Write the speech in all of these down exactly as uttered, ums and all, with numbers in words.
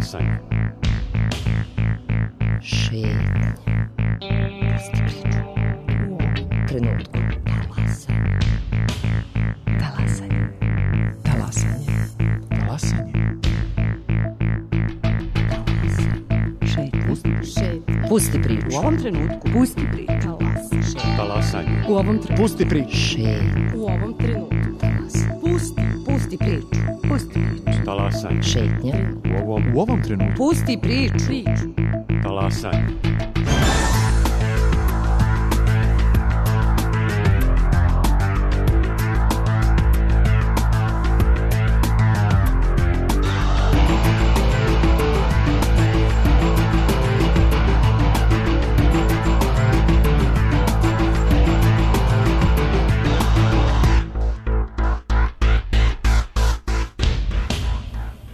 Talasanje. Šetnje. Pusti priču. U ovom trenutku. Talasanje. Talasanje. Talasanje. Talasanje. Pusti priču. U ovom trenutku. Pusti priču. Talasanje. U ovom trenutku. Pusti priču. Šetnje. U ovom trenutku. Pusti. Pusti priču. Pusti priču. Talasanje. Šetnja. U ovom, U ovom trenutku. Pusti priču. Priču. talasanje.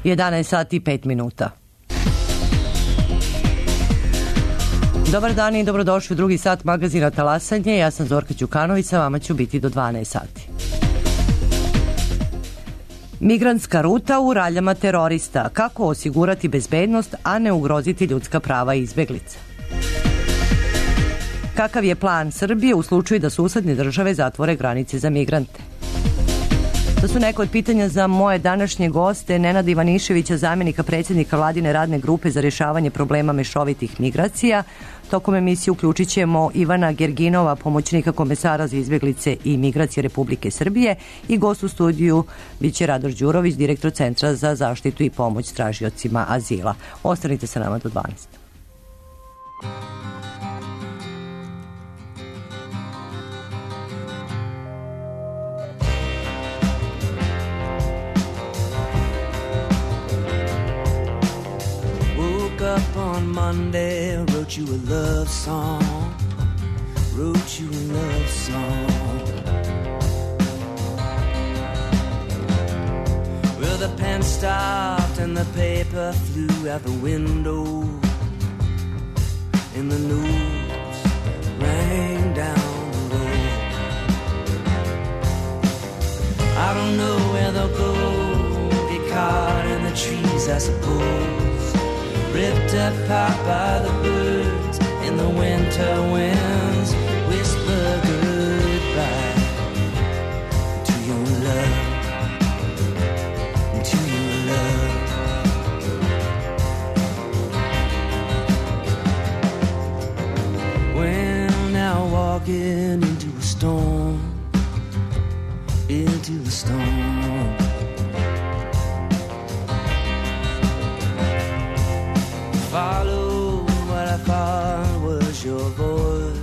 jedanaest sati i pet minuta. Dobar dan i dobrodošli u drugi sat magazina Talasanje. Ja sam Zorka Đukanović, sa vama ću biti do dvanaest sati. Migrantska ruta u raljama terorista. Kako osigurati bezbednost, a ne ugroziti ljudska prava izbeglica? Kakav je plan Srbije u slučaju da susedne države zatvore granice za migrante? To su neko od pitanja za moje današnje goste, Nenada Ivaniševića, zamjenika predsjednika Vladine radne grupe za rješavanje problema mešovitih migracija. Tokom emisije uključit ćemo Ivana Gerginova, pomoćnika komesara za izbjeglice i migracije Republike Srbije, i gost u studiju biće Radoš Đurović, direktor Centra za zaštitu i pomoć tražiocima azila. Ostanite sa nama do dvanaest. Up on Monday, wrote you a love song, wrote you a love song. Well, the pen stopped and the paper flew out the window, and the news rang down the road. I don't know where they'll go, get caught in the trees, I suppose. Ripped apart by the birds in the winter winds, whisper goodbye to your love, to your love. Well, now walking into a storm, into a storm. Follow what I thought was your voice,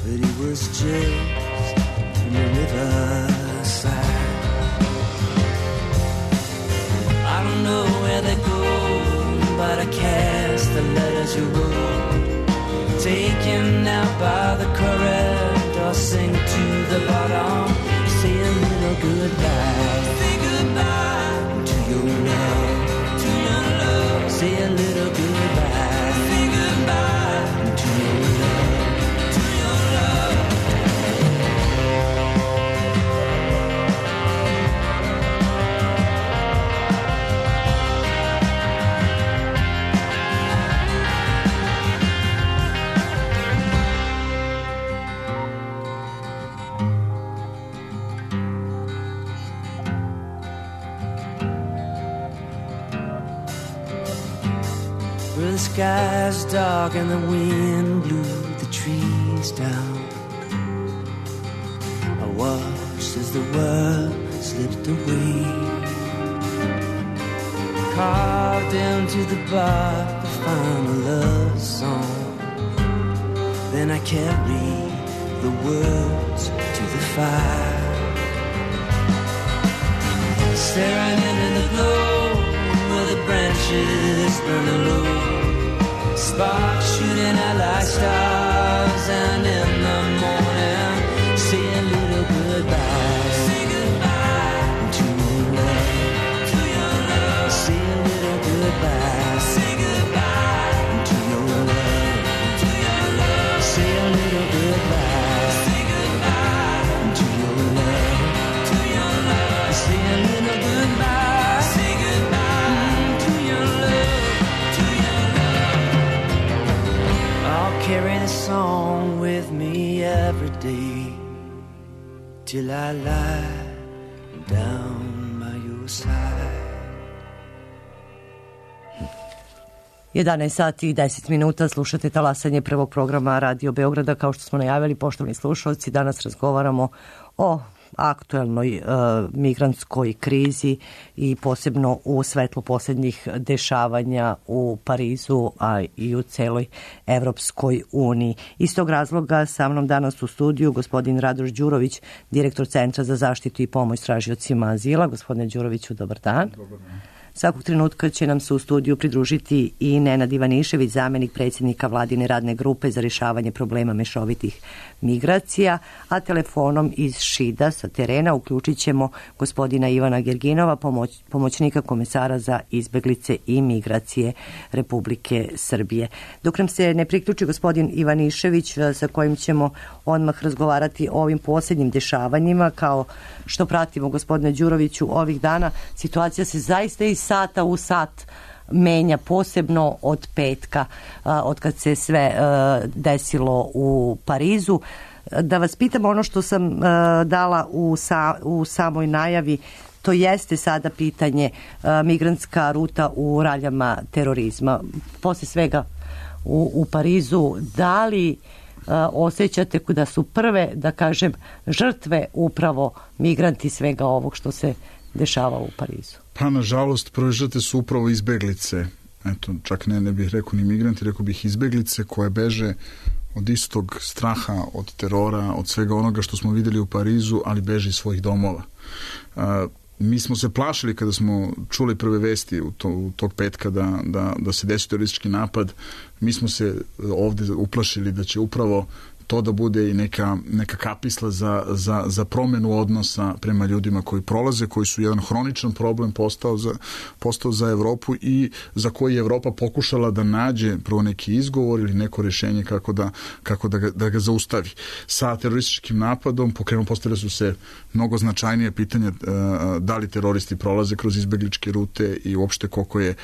but it was just from the riverside. I don't know where they go, but I cast the letters you wrote, taken out by the current, or sink to the bottom, say a little goodbye, say goodbye to your love. Say a little goodbye. Say goodbye to your love, to your love. Well, the sky's dark and the wind blew the trees down. I watched as the world slipped away, carved into the bark the final love song. Then I carried the words to the fire, staring into the glow where the branches burning low, sparks shooting out like stars, and in the morning, say a little goodbye. Say goodbye to your love, to your love. Say a little goodbye. Say goodbye to your love, to your love. Say a little goodbye. Say goodbye to your love, to your love. Say a little goodbye. Say goodbye to your till I lie down by your side. jedanaest sati i deset minuta, slušate talasanje prvog programa Radio Beograda. Kao što smo najavili, poštovani slušalci, danas razgovaramo o aktuelnoj e, migrantskoj krizi i posebno u svetlu posljednjih dešavanja u Parizu, a i u celoj Evropskoj uniji. Iz tog razloga sa mnom danas u studiju gospodin Radoš Đurović, direktor Centra za zaštitu i pomoć tražiocima azila. Gospodine Đuroviću, dobar dan. Dobar dan. Svakog trenutka će nam se u studiju pridružiti i Nenad Ivanišević, zamenik predsjednika Vladine radne grupe za rješavanje problema mešovitih migracija, a telefonom iz Šida sa terena uključit ćemo gospodina Ivana Gerginova, pomoć, pomoćnika komesara za izbeglice i migracije Republike Srbije. Dok nam se ne priključi gospodin Ivanišević, sa kojim ćemo odmah razgovarati o ovim posljednjim dešavanjima, kao što pratimo, gospodine Đuroviću, ovih dana, situacija se zaista iz sata u sat menja, posebno od petka, od kad se sve desilo u Parizu. Da vas pitam ono što sam dala u, sa, u samoj najavi, to jeste sada pitanje migrantska ruta u raljama terorizma. Posle svega u, u Parizu, da li osjećate da su prve, da kažem, žrtve upravo migranti svega ovog što se dešava u Parizu? Pa, nažalost, prve žrtve su upravo izbeglice. Eto, čak ne, ne bih rekao ni migranti, rekao bih izbeglice koje beže od istog straha, od terora, od svega onoga što smo vidjeli u Parizu, ali beže iz svojih domova. A, mi smo se plašili kada smo čuli prve vesti u, to, u tog petka da, da, da se desi teroristički napad. Mi smo se ovdje uplašili da će upravo to da bude i neka, neka kapisla za, za, za promjenu odnosa prema ljudima koji prolaze, koji su jedan hroničan problem postao za, postao za Evropu i za koji je Evropa pokušala da nađe prvo neki izgovor ili neko rješenje kako da, kako da, ga, da ga zaustavi. Sa terorističkim napadom pokrenuo, postavile su se mnogo značajnije pitanja da li teroristi prolaze kroz izbegličke rute i uopšte koliko je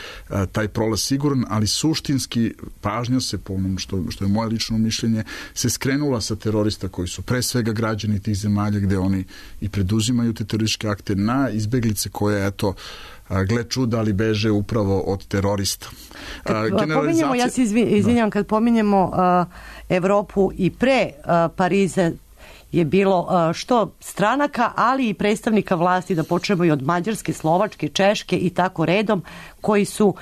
taj prolaz siguran, ali suštinski pažnja se, po onom što, što je moje lično mišljenje, se skrenula sa terorista koji su pre svega građani tih zemalja gde oni i preduzimaju te terorističke akte na izbeglice koje, eto, gle čuda, ali beže upravo od terorista. Kad pominjemo, ja se izvinjam, kad pominjemo uh, Evropu i pre uh, Pariza je bilo uh, što stranaka, ali i predstavnika vlasti, da počnemo i od Mađarske, Slovačke, Češke i tako redom, koji su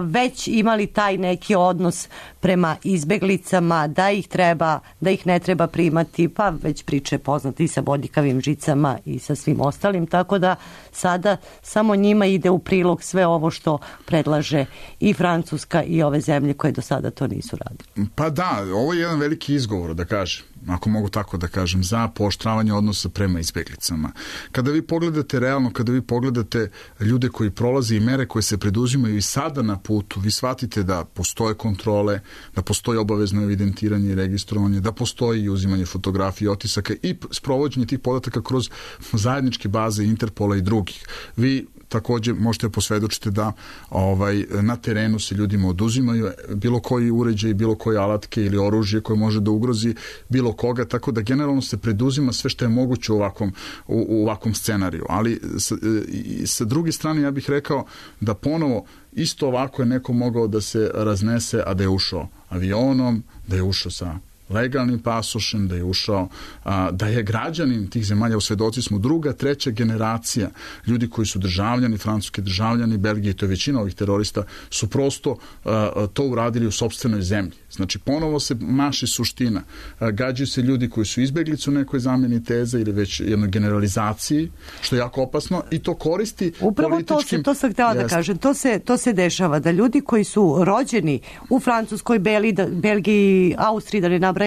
već imali taj neki odnos prema izbeglicama, da ih treba, da ih ne treba primati, pa već priče poznati i sa bodljikavim žicama i sa svim ostalim, tako da sada samo njima ide u prilog sve ovo što predlaže i Francuska i ove zemlje koje do sada to nisu radili. Pa da, ovo je jedan veliki izgovor, da kažem, ako mogu tako da kažem, za pooštravanje odnosa prema izbeglicama. Kada vi pogledate realno, kada vi pogledate ljude koji prolaze i mere koje se preduzimaju i sada na putu, vi shvatite da postoje kontrole, da postoji obavezno evidentiranje i registrovanje, da postoji uzimanje fotografije, otisaka i sprovođenje tih podataka kroz zajedničke baze Interpola i drugih. Vi također možete posvedočiti da ovaj, na terenu se ljudima oduzimaju bilo koji uređaj, bilo koje alatke ili oružje koje može da ugrozi bilo koga, tako da generalno se preduzima sve što je moguće u ovakvom, u, u ovakvom scenariju. Ali sa, sa druge strane ja bih rekao da ponovo isto ovako je neko mogao da se raznese, a da je ušao avionom, da je ušao sa legalnim pasošem, da je ušao, a, da je građanin tih zemalja, u svedoci smo druga, treća generacija ljudi koji su državljani, francuski državljani, Belgije, to je većina ovih terorista, su prosto a, to uradili u sopstvenoj zemlji. Znači, ponovo se maši suština. A, gađaju se ljudi koji su izbeglice u nekoj zamjeni teze ili već jednoj generalizaciji, što je jako opasno i to koristi upravo političkim... Upravo to, to sam htjela da kažem. To se, to se dešava, da ljudi koji su rođeni u Francuskoj, Beli, da, Belgiji, Austriji, da ne nabrajamo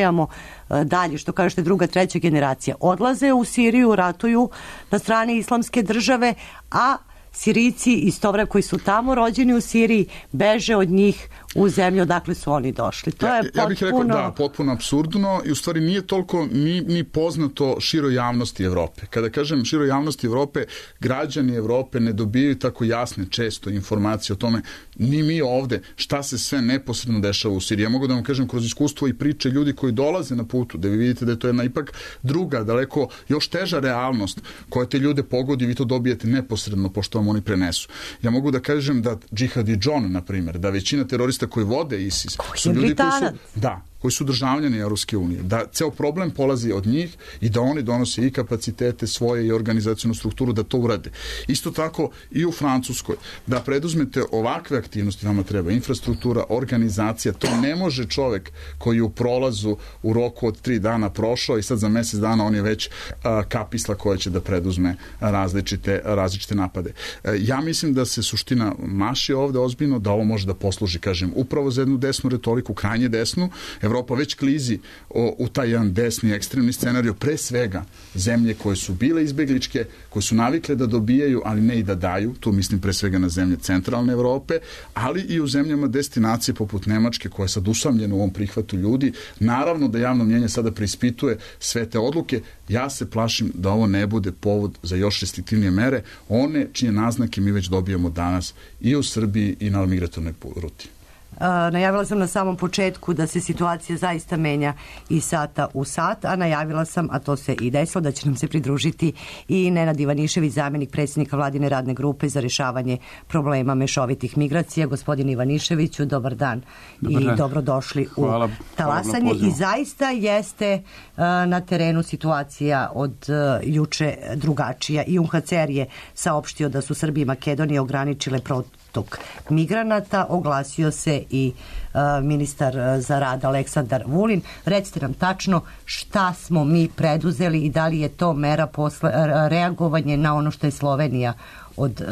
dalje, što kažete druga, treća generacija, odlaze u Siriju, ratuju na strani islamske države, a Sirijci istovremeno koji su tamo rođeni u Siriji beže od njih u zemlju odakle su oni došli. To ja, je ja bih potpuno... rekao, da, potpuno apsurdno i u stvari nije toliko ni, ni poznato široj javnosti Evrope. Kada kažem široj javnosti Evrope, građani Evrope ne dobijaju tako jasne često informacije o tome, ni mi ovde, šta se sve neposredno dešava u Siriji. Ja mogu da vam kažem kroz iskustvo i priče ljudi koji dolaze na putu, da vi vidite da je to jedna ipak druga, daleko još teža realnost koja te ljude pogodi, vi to dobijete neposredno pošto vam oni prenesu. Ja mogu da kažem da Džihadi John, na primjer, da većina terorista koji vode ISIS su ljudi koji su, da, koji su državljani Evropske unije, da ceo problem polazi od njih i da oni donose i kapacitete svoje i organizacionu strukturu da to urade. Isto tako i u Francuskoj, da preduzmete ovakve aktivnosti, vama treba infrastruktura, organizacija, to ne može čovek koji u prolazu u roku od tri dana prošao i sad za mesec dana on je već a, kapisla koja će da preduzme različite, različite napade. E, ja mislim da se suština maši ovde ozbiljno, da ovo može da posluži, kažem, upravo za jednu desnu retoriku, krajnje desnu. Evropa već klizi o, u taj jedan desni ekstremni scenariju, pre svega zemlje koje su bile izbegličke, koje su navikle da dobijaju, ali ne i da daju, tu mislim pre svega na zemlje centralne Evrope, ali i u zemljama destinacije poput Nemačke, koja je sad usamljena u ovom prihvatu ljudi. Naravno da javno mnjenje sada preispituje sve te odluke. Ja se plašim da ovo ne bude povod za još restriktivnije mere, one čije naznake mi već dobijamo danas i u Srbiji i na migratornoj ruti. Uh, najavila sam na samom početku da se situacija zaista menja iz sata u sat, a najavila sam, a to se i desilo, da će nam se pridružiti i Nenad Ivanišević, zamjenik predsjednika Vladine radne grupe za rešavanje problema mešovitih migracija. Gospodin Ivaniševiću, dobar dan, dobar i dan. Dobrodošli hvala, u Talasanje. I zaista jeste uh, na terenu situacija od uh, juče drugačija. I U N H C R je saopštio da su Srbija i Makedonija ograničile protok migranata, oglasio se i uh, ministar za rad Aleksandar Vulin. Recite nam tačno šta smo mi preduzeli i da li je to mera posle, reagovanje na ono što je Slovenija od uh,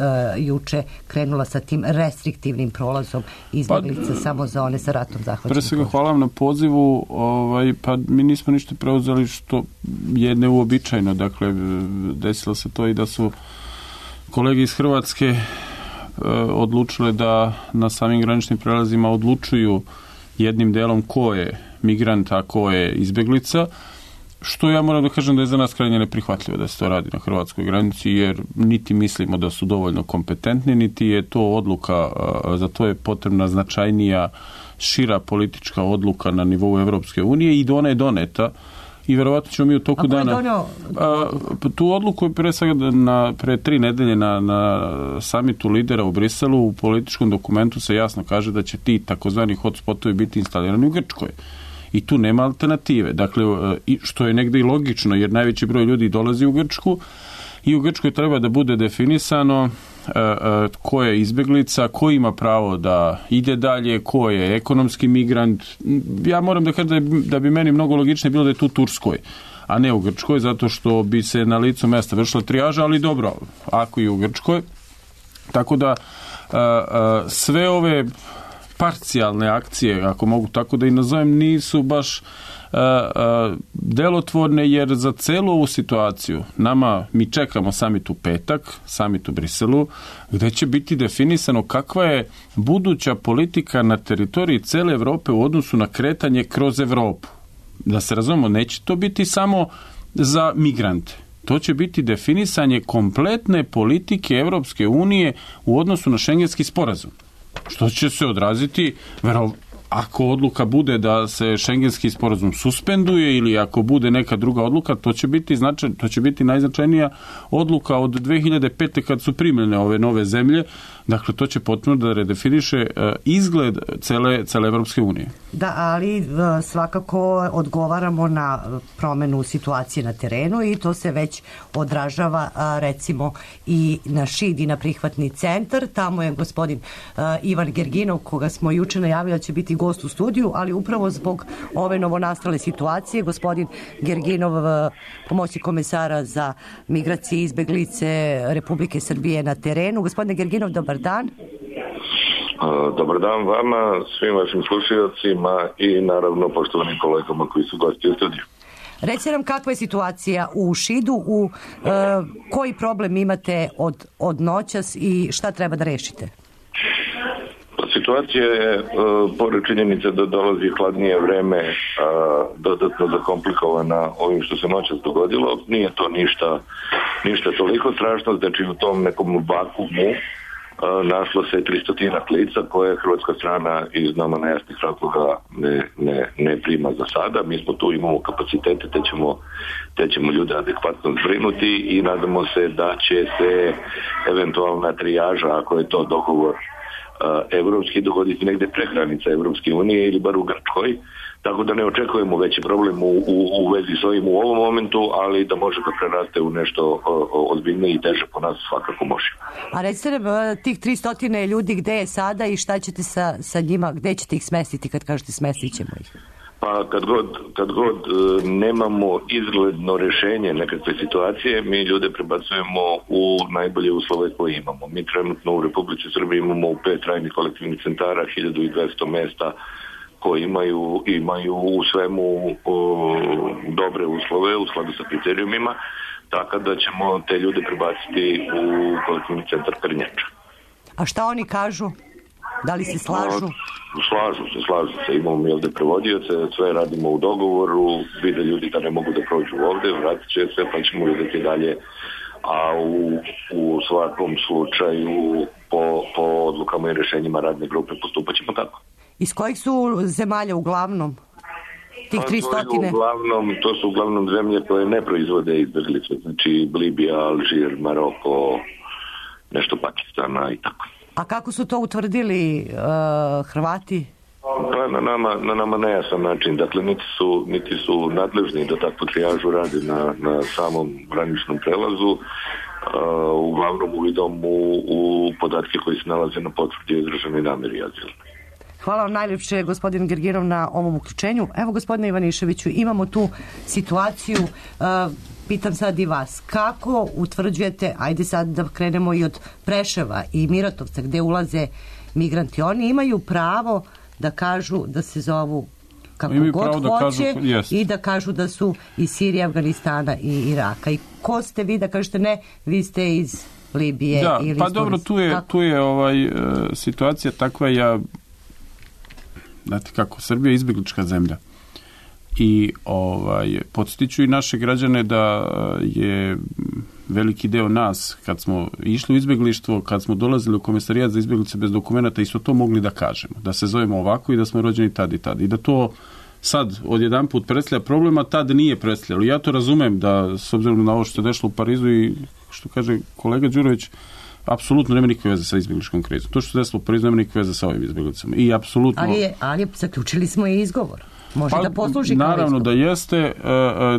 juče krenula sa tim restriktivnim prolazom izbjeglica pa, samo za one sa ratom zahvaćenim. Pre svega hvala vam na pozivu, ovaj, pa mi nismo ništa preuzeli što je neuobičajeno. Dakle, desilo se to i da su kolege iz Hrvatske odlučile da na samim graničnim prelazima odlučuju jednim delom ko je migrant, a ko je izbeglica, što ja moram da kažem da je za nas krajnje neprihvatljivo da se to radi na hrvatskoj granici, jer niti mislimo da su dovoljno kompetentni, niti je to odluka, za to je potrebna značajnija, šira politička odluka na nivou Evropske unije i ona je doneta. I verovatno ćemo mi u toku dana... A, tu odluku je pre svega na, pre tri nedelje na, na samitu lidera u Briselu u političkom dokumentu se jasno kaže da će ti takozvani hotspotovi biti instalirani u Grčkoj. I tu nema alternative. Dakle, što je negde i logično, jer najveći broj ljudi dolazi u Grčku i u Grčkoj treba da bude definisano ko je izbeglica, ko ima pravo da ide dalje, ko je ekonomski migrant. Ja moram da kažem da, je, da bi meni mnogo logičnije bilo da je tu Turskoj, a ne u Grčkoj, zato što bi se na licu mesta vršila trijaža, ali dobro, ako i u Grčkoj. Tako da sve ove parcijalne akcije, ako mogu tako da i nazovem, nisu baš Uh, uh, delotvorne, jer za celu ovu situaciju nama, mi čekamo samit u petak, samit u Briselu, gde će biti definisano kakva je buduća politika na teritoriji cele Evrope u odnosu na kretanje kroz Evropu. Da se razumemo, neće to biti samo za migrante. To će biti definisanje kompletne politike Evropske unije u odnosu na šengenski sporazum. Što će se odraziti, verovatno, ako odluka bude da se šengenski sporazum suspenduje ili ako bude neka druga odluka, to će biti značaj, to će biti najznačajnija odluka od dve hiljade pete kad su primljene ove nove zemlje. Dakle, to će potpuno da redefiniše uh, izgled cele, cele Evropske unije. Da, ali uh, svakako odgovaramo na promenu situacije na terenu i to se već odražava uh, recimo i na Šid i na prihvatni centar. Tamo je gospodin uh, Ivan Gerginov, koga smo juče najavili da će biti gost u studiju, ali upravo zbog ove novonastale situacije gospodin Gerginov, uh, pomoćnik komesara za migracije i izbeglice Republike Srbije na terenu. Gospodine Gerginov, dobar dan. Dobar dan vama, svim vašim slušaocima i naravno poštovanim kolegama koji su gosti u studiju. Recite nam kakva je situacija u Šidu, u e, koji problem imate od, od noćas i šta treba da rešite? situacija je, uh, pored činjenice da dolazi hladnije vreme, uh, dodatno zakomplikovana ovim što se noćas dogodilo. Nije to ništa, ništa toliko strašno, znači u tom nekom vakuumu uh, našlo se tristotinak lica koje hrvatska strana iz nama nejasnih razloga ne, ne, ne prima za sada. Mi smo tu, imamo kapacitete, te ćemo, te ćemo ljude adekvatno zbrinuti i nadamo se da će se eventualna trijaža, ako je to dogovor evropski, dogoditi negde pre granica Evropske unije ili bar u Grčkoj, tako da ne očekujemo veći problem u, u, u vezi s ovim u ovom momentu, ali da može da preraste u nešto ozbiljnije i teže po nas svakako može. A recite nam, tih tristo ljudi gde je sada i šta ćete sa, sa njima, gde ćete ih smestiti kad kažete smestit ćemo ih? Pa kad god, kad god e, nemamo izgledno rešenje nekakve situacije, mi ljude prebacujemo u najbolje uslove koje imamo. Mi trenutno u Republici Srbiji imamo u pet trajnih kolektivnih centara hiljadu dvesta mesta koji imaju, imaju u svemu o, dobre uslove u skladu sa kriterijumima, tako da ćemo te ljude prebaciti u kolektivni centar Krnjača. A šta oni kažu? Da li se slažu? Slažu se, slažu se. Imamo mi ovde prevodioce, sve radimo u dogovoru, vide ljudi da ne mogu da prođu ovde, vratit će se, pa ćemo vidjeti dalje. A u, u svakom slučaju po, po odlukama i rešenjima radne grupe postupat ćemo tako. Iz kojih su zemalja uglavnom? Tih tristo? To, uglavnom, to su uglavnom zemlje koje ne proizvode izbjeglice, znači Libija, Alžir, Maroko, nešto Pakistana i tako. A kako su to utvrdili uh, Hrvati? Pa na nama, na nama nejasan način. Dakle, niti su, niti su nadležni da takvu trijažu rade na, na samom graničnom prelazu, uh, uglavnom uvidom u, u podatke koji se nalaze na potvrdi izraženoj nameri azila. Hvala vam najljepše, gospodin Gergirov, na ovom uključenju. Evo, gospodine Ivaniševiću, imamo tu situaciju, uh, pitam sad i vas, kako utvrđujete, ajde sad da krenemo i od Preševa i Miratovca gde ulaze migranti, oni imaju pravo da kažu da se zovu kako god hoće i da kažu da su iz Sirije, Afganistana i Iraka. I ko ste vi da kažete ne, vi ste iz Libije da, ili pa iz dobro, tu je, tu je ovaj, uh, situacija takva, ja znate kako, Srbija je izbjeglička zemlja i ovaj, podstiču i naše građane da je veliki deo nas, kad smo išli u izbjeglištvo, kad smo dolazili u komesarijat za izbjeglice bez dokumenta, isto to mogli da kažemo, da se zovemo ovako i da smo rođeni tad i tad. I da to sad odjedan put predstavlja problema, tad nije predstavljalo. Ja to razumem da, s obzirom na ovo što je dešlo u Parizu i što kaže kolega Đurović, apsolutno nema nikakve veze sa izbjegličkom krizom. To što se desilo u Parizu nema nikakve veze sa ovim izbjeglicama. I apsolutno... Ali, je, ali zaključili smo i izgovor. Može pa, da posluži kao naravno izgovor. Da jeste.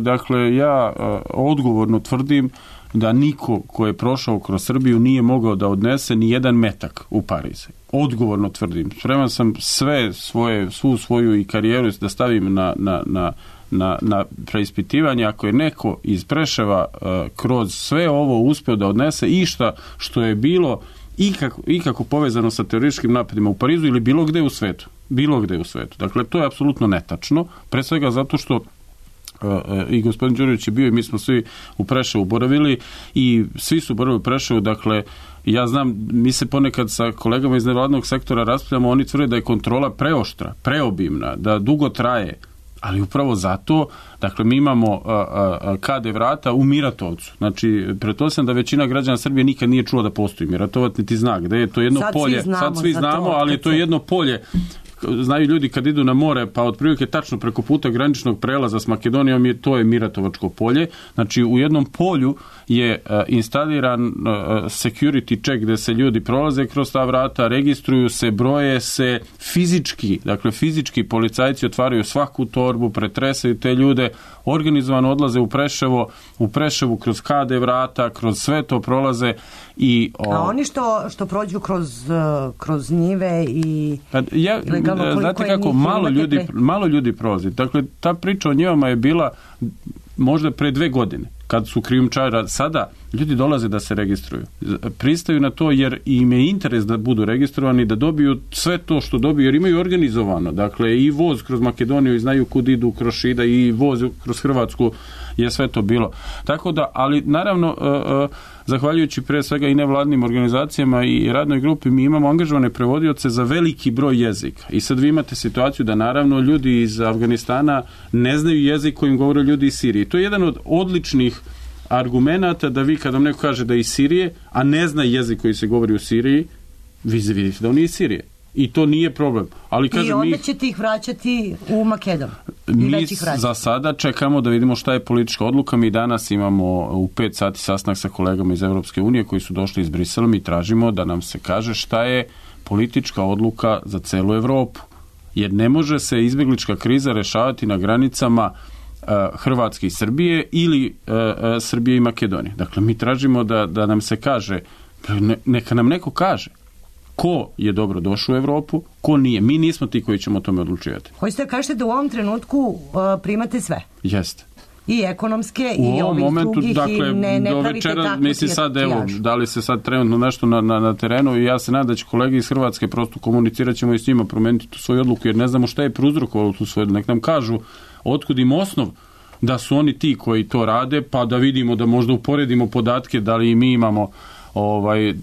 Dakle, ja odgovorno tvrdim da niko ko je prošao kroz Srbiju nije mogao da odnese ni jedan metak u Pariz. Odgovorno tvrdim. Spreman sam sve svoje, svu svoju i karijeru da stavim na, na, na, na, na preispitivanje. Ako je neko iz Preševa uh, kroz sve ovo uspeo da odnese išta što je bilo ikako, ikako povezano sa terorističkim napadima u Parizu ili bilo gde u svetu. Bilo gde u svetu. Dakle, to je apsolutno netačno. Pre svega zato što i gospodin Đurović je bio i mi smo svi u Preševu boravili i svi su boravili u Preševu, dakle ja znam, mi se ponekad sa kolegama iz nevladnog sektora raspravljamo, oni tvrde da je kontrola preoštra, preobimna, da dugo traje, ali upravo zato, dakle mi imamo a, a, kade vrata u Miratovcu, znači pretpostavljam da većina građana Srbije nikad nije čula da postoji Miratovac, niti zna gde je to jedno sad polje, svi znamo, sad svi znamo, ali je to jedno polje. Znaju ljudi kad idu na more, pa otprilike tačno preko puta graničnog prelaza s Makedonijom je, to je Miratovačko polje. Znači u jednom polju je uh, instaliran uh, security check gde se ljudi prolaze kroz ta vrata, registruju se, broje se fizički, dakle fizički policajci otvaraju svaku torbu, pretresaju te ljude, organizovano odlaze u Preševo, u Preševu kroz kade vrata, kroz sve to prolaze i... O... A oni što, što prođu kroz, uh, kroz njive i... Ja, znate kako, malo ljudi, malo ljudi prolazi. Dakle, ta priča o njivama je bila možda pre dve godine, kad su krijumčari. Sada ljudi dolaze da se registruju. Pristaju na to jer im je interes da budu registrovani, da dobiju sve to što dobiju, jer imaju organizovano. Dakle, i voz kroz Makedoniju i znaju kud idu kroz Šida i voz kroz Hrvatsku je sve to bilo. Tako da, ali naravno zahvaljujući pre svega i nevladnim organizacijama i radnoj grupi, mi imamo angažovane prevodioce za veliki broj jezika. I sad vi imate situaciju da naravno ljudi iz Afganistana ne znaju jezik kojim govore ljudi iz Sirije. To je jedan od odličnih argumenata da vi kad vam neko kaže da je iz Sirije, a ne zna jezik koji se govori u Siriji, vi vidite da on nije iz Sirije. I to nije problem. Ali, kažem, I onda mi, ćete ih vraćati u Makedoniju. Mi za sada čekamo da vidimo šta je politička odluka. Mi danas imamo u pet sati sastanak sa kolegama iz Evropske unije koji su došli iz Brisela. Mi tražimo da nam se kaže šta je politička odluka za celu Evropu. Jer ne može se izbjeglička kriza rešavati na granicama uh, Hrvatske i Srbije ili uh, uh, Srbije i Makedonije. Dakle, mi tražimo da, da nam se kaže, ne, neka nam neko kaže ko je dobro došao u Evropu, ko nije. Mi nismo ti koji ćemo o tome odlučivati. Hoćete da kažete da u ovom trenutku uh, primate sve? Jeste. I ekonomske, u i ovih momentu, drugih, dakle, i ne, ne do pravite večera, takvu misli sad, evo, da li se sad trenutno nešto na, na, na terenu i ja se nadam da će kolege iz Hrvatske prosto komunicirat ćemo i s njima promeniti tu svoju odluku, jer ne znamo šta je prouzrokovalo tu svoju odluku. Nek nam kažu otkud im osnov da su oni ti koji to rade, pa da vidimo, da možda uporedimo podatke, da li i mi imamo ovaj,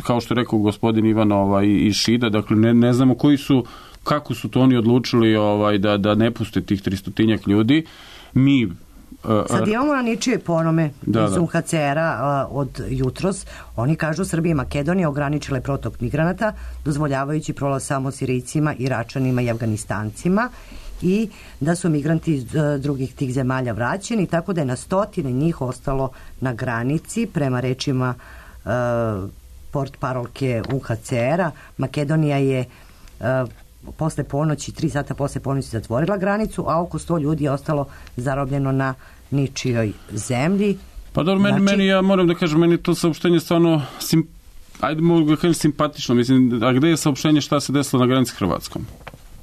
kao što je rekao gospodin Ivan ovaj, iz Šida, dakle ne, ne znamo koji su, kako su to oni odlučili ovaj, da, da ne puste tih tristotinjak ljudi. Mi sad imamo na ničije ponome da, iz U N H C R-a od jutros. Oni kažu Srbija i Makedonija ograničile protok migranata, dozvoljavajući prolaz samo Sirijcima, Iračanima i Afganistancima, i da su migranti iz drugih tih zemalja vraćeni, tako da je na stotine njih ostalo na granici. Prema rečima uh, port parolke U N H C R-a, Makedonija je uh, posle ponoći, tri sata posle ponoći zatvorila granicu, a oko sto ljudi je ostalo zarobljeno na ničijoj zemlji. Pa dobro, meni, znači, meni, ja moram da kažem, meni to saopštenje stvarno sim, ajde mogu da kažem simpatično, mislim, a gde je saopštenje šta se desilo na granici Hrvatskom?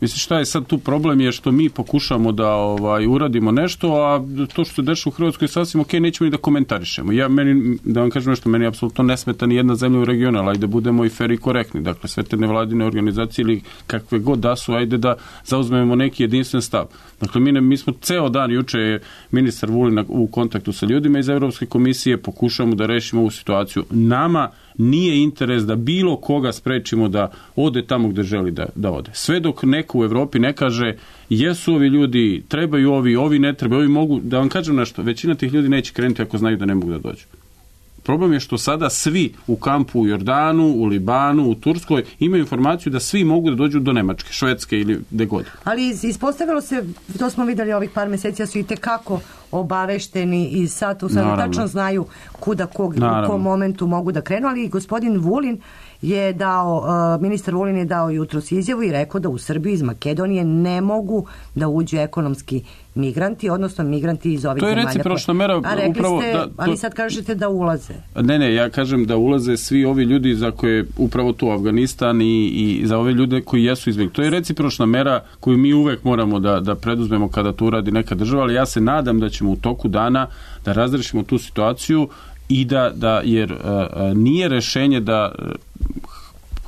Mislim, šta je sad tu problem je što mi pokušamo da ovaj, uradimo nešto, a to što se dešava u Hrvatskoj je sasvim ok, nećemo ni da komentarišemo. Ja, meni, da vam kažem nešto, meni apsolutno ne smeta ni jedna zemlja u regionu, ali ajde budemo i fer i korektni. Dakle, sve te nevladine organizacije ili kakve god da su, ajde da zauzmemo neki jedinstven stav. Dakle, mi, ne, mi smo ceo dan, juče je ministar Vulin u kontaktu sa ljudima iz Evropske komisije, pokušamo da rešimo ovu situaciju. Nama nije interes da bilo koga sprečimo da ode tamo gde želi da, da ode. Sve dok neko u Evropi ne kaže jesu ovi ljudi, trebaju ovi, ovi ne trebaju, ovi mogu, da vam kažem nešto, većina tih ljudi neće krenuti ako znaju da ne mogu da dođu. Problem je što sada svi u kampu u Jordanu, u Libanu, u Turskoj imaju informaciju da svi mogu da dođu do Nemačke, Švedske ili gde god. Ali ispostavilo se, to smo videli ovih par meseci, da su i tekako obavešteni i sad tu sad tačno znaju kuda kog, u kom momentu mogu da krenu, ali gospodin Vulin je dao, uh, ministar Vulin je dao jutros izjavu i rekao da u Srbiji iz Makedonije ne mogu da uđu ekonomski migranti, odnosno migranti iz ovih zemalja. To je recipročna mera. A rekli upravo, ste, da, to... ali sad kažete da ulaze. Ne, ne, ja kažem da ulaze svi ovi ljudi za koje upravo tu Afganistan i, i za ove ljude koji jesu izbjegli. To je recipročna mera koju mi uvek moramo da, da preduzmemo kada to uradi neka država, ali ja se nadam da ćemo u toku dana da razrešimo tu situaciju i da, da jer uh, nije rešenje da uh,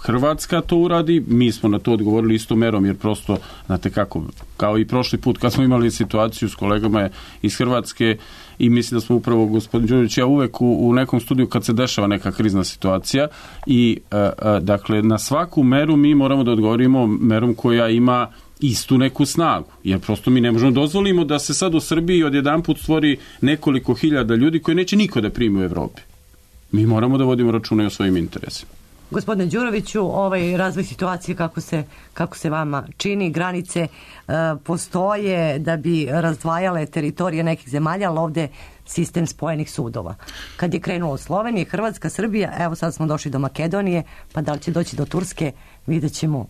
Hrvatska to uradi, mi smo na to odgovorili istom merom, jer prosto, znate kako, kao i prošli put kad smo imali situaciju s kolegama iz Hrvatske i mislim da smo upravo, gospodin Đurić, ja uvek u, u nekom studiju kad se dešava neka krizna situacija i uh, uh, dakle, na svaku meru mi moramo da odgovorimo merom koja ima istu neku snagu, jer prosto mi ne možemo dozvolimo da se sad u Srbiji odjedanput stvori nekoliko hiljada ljudi koji neće niko da primi u Evropi. Mi moramo da vodimo računa i o svojim interesima. Gospodine Đuroviću, ovaj razvoj situacije kako se, kako se vama čini, granice e, postoje da bi razdvajale teritorije nekih zemalja, ali ovde sistem spojenih sudova. Kad je krenulo Slovenija, Hrvatska, Srbija, evo sad smo došli do Makedonije, pa da li će doći do Turske, vidjet ćemo.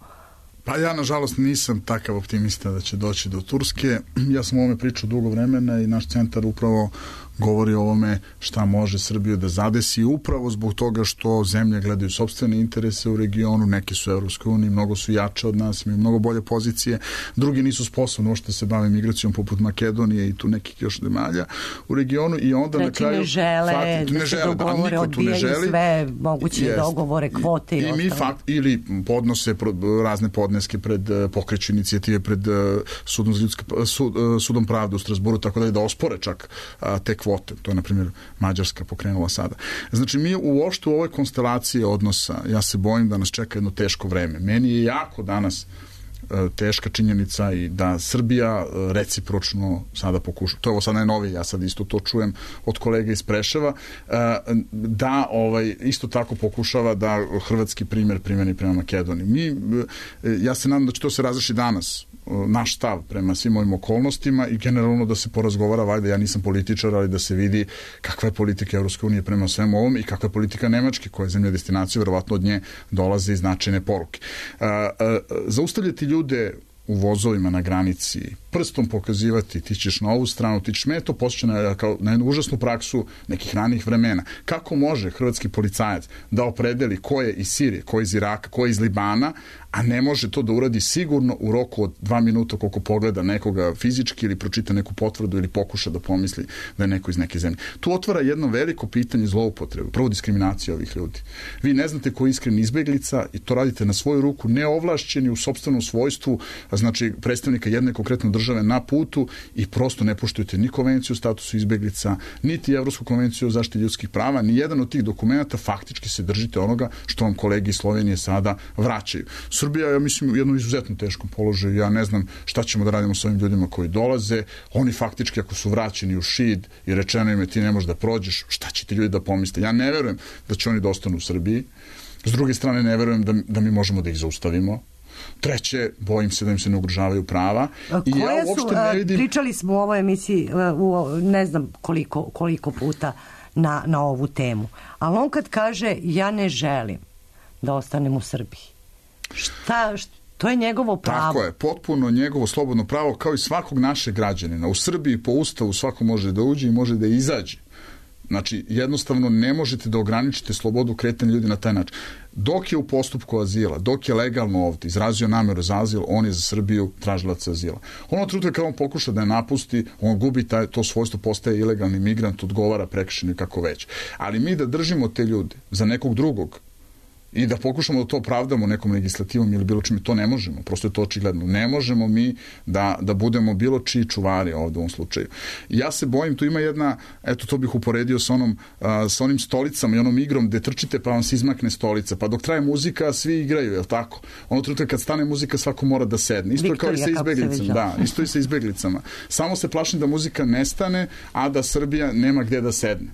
Pa ja, nažalost, nisam takav optimista da će doći do Turske. Ja sam o ovome pričao dugo vremena i naš centar upravo govori o ovome šta može Srbiju da zadesi upravo zbog toga što zemlje gledaju sopstvene interese u regionu, neki su u Evropskoj uniji, mnogo su jače od nas, imaju mnogo bolje pozicije, drugi nisu sposobni uopšte se bave migracijom poput Makedonije i tu nekih još zemalja u regionu i onda Reći na kraju ne žele fakt, da ne se žele, dogovore, da, odbijaju sve moguće jest. dogovore, kvote i, i, i mi fakt, ili podnose razne podneske pred pokreću inicijative pred sudom, ljudske, sud, sudom pravde u Strasburu, tako da je da ospore čak te kvote. To je, na primjer, Mađarska pokrenula sada. Znači, mi uopšte u ovoj konstelaciji odnosa, ja se bojim da nas čeka jedno teško vreme. Meni je jako danas teška činjenica i da Srbija recipročno sada pokuša, to je ovo sad najnovije, ja sad isto to čujem od kolega iz Preševa, da ovaj, isto tako pokušava da hrvatski primjer primjeni prema Makedoniji. Mi, ja se nadam da će to se razreši danas, naš stav prema svim ovim okolnostima i generalno da se porazgovara, valjda ja nisam političar, ali da se vidi kakva je politika Evropske unije prema svemu ovom i kakva je politika Nemačke, koja je zemlja destinacije, verovatno od nje dolaze i značajne poruke. Zaustavljati ljude u vozovima na granici, prstom pokazivati ti ćeš na ovu stranu, ti ćeš, me to posjeća na, kao, na jednu užasnu praksu nekih ranih vremena. Kako može hrvatski policajac da opredeli ko je iz Sirije, ko je iz Iraka, ko je iz Libana, a ne može to da uradi sigurno u roku od dva minuta koliko pogleda nekoga fizički ili pročita neku potvrdu ili pokuša da pomisli da je neko iz neke zemlje. Tu otvara jedno veliko pitanje zloupotrebe, prvo diskriminacija ovih ljudi. Vi ne znate ko je iskren izbeglica i to radite na svoju ruku, neovlašćeni u sopstvenom svojstvu, znači predstavnika jedne konkretne države na putu i prosto ne poštujete ni konvenciju o statusu izbeglica, niti Evropsku konvenciju o zaštiti ljudskih prava, ni jedan od tih dokumenta faktički se držite onoga što vam kolege iz Slovenije sada vraćaju. Srbija, ja mislim, u jednom izuzetno teškom položaju. Ja ne znam šta ćemo da radimo s ovim ljudima koji dolaze. Oni faktički, ako su vraćeni u Šid i rečeno im je ti ne možeš da prođeš, šta će ti ljudi da pomisle? Ja ne verujem da će oni da ostanu u Srbiji. S druge strane, ne verujem da, da mi možemo da ih zaustavimo. Treće, bojim se da im se ne ugrožavaju prava. I Koje ja uopšte su, ne vidim... pričali smo u ovoj emisiji u, ne znam koliko, koliko puta na, na ovu temu. Ali on kad kaže ja ne želim da ostanem u Srbiji, šta, šta, to je njegovo pravo. Tako je, potpuno njegovo slobodno pravo, kao i svakog našeg građanina. U Srbiji po Ustavu svako može da uđe i može da izađe. Znači, jednostavno ne možete da ograničite slobodu kretanja ljudi na taj način. Dok je u postupku azila, dok je legalno ovdje izrazio nameru za azil, on je za Srbiju tražilac azila. Ono trenutka kada on pokuša da je napusti, on gubi taj, to svojstvo, postaje ilegalni migrant, odgovara prekršajno kako već. Ali mi da držimo te ljude za nekog drugog i da pokušamo da to opravdamo nekom legislativom ili bilo čime, to ne možemo. Prosto je to očigledno. Ne možemo mi da, da budemo bilo čiji čuvari ovdje u ovom slučaju. Ja se bojim, tu ima jedna, eto to bih uporedio sa, onom, a, sa onim stolicama i onom igrom gde trčite pa vam se izmakne stolica. Pa dok traje muzika, svi igraju, je li tako? Ono trenutka kad stane muzika, svako mora da sedne. Isto je kao i sa izbeglicama. Da, isto i sa izbeglicama. Samo se plašim da muzika nestane, a da Srbija nema gde da sedne.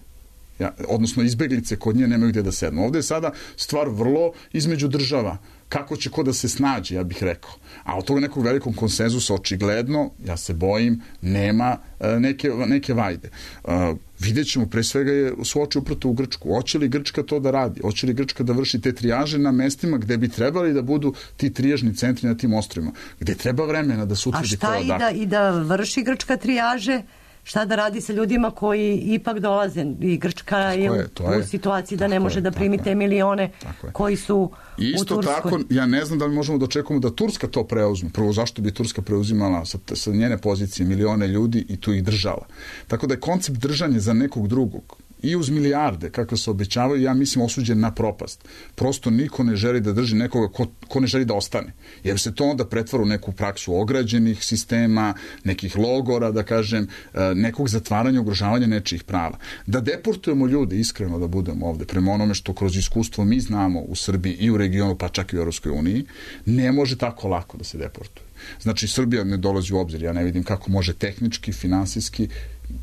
Ja, odnosno izbeglice kod nje nemaju gdje da sednu. Ovdje je sada stvar vrlo između država. Kako će ko da se snađe, ja bih rekao. A od toga nekog velikog konsenzusa očigledno, ja se bojim, nema e, neke, neke vajde. E, vidjet ćemo, pre svega je su oči uprto u Grčku. Hoće li Grčka to da radi? Hoće li Grčka da vrši te trijaže na mestima gde bi trebali da budu ti trijažni centri na tim ostrvima? Gde treba vremena da se utvrdi ko odakle. A šta i da, i da vrši Grčka trijaže? Šta da radi sa ljudima koji ipak dolaze i Grčka je, je u, u situaciji da ne može je, da primi te milione koji su I isto u Turskoj. Tako, ja ne znam da li možemo da očekujemo da Turska to preuzme. Prvo, zašto bi Turska preuzimala sa, sa njene pozicije milione ljudi i tu ih držala. Tako da je koncept držanja za nekog drugog i uz milijarde, kako se obećavaju, ja mislim osuđen na propast. Prosto niko ne želi da drži nekoga ko, ko ne želi da ostane. Jer se to onda pretvara u neku praksu ograđenih sistema, nekih logora, da kažem, nekog zatvaranja, ugrožavanja nečijih prava. Da deportujemo ljude, iskreno da budemo ovde, prema onome što kroz iskustvo mi znamo u Srbiji i u regionu, pa čak i u Evropskoj uniji, ne može tako lako da se deportuje. Znači, Srbija ne dolazi u obzir, ja ne vidim kako može tehnički, finansijski,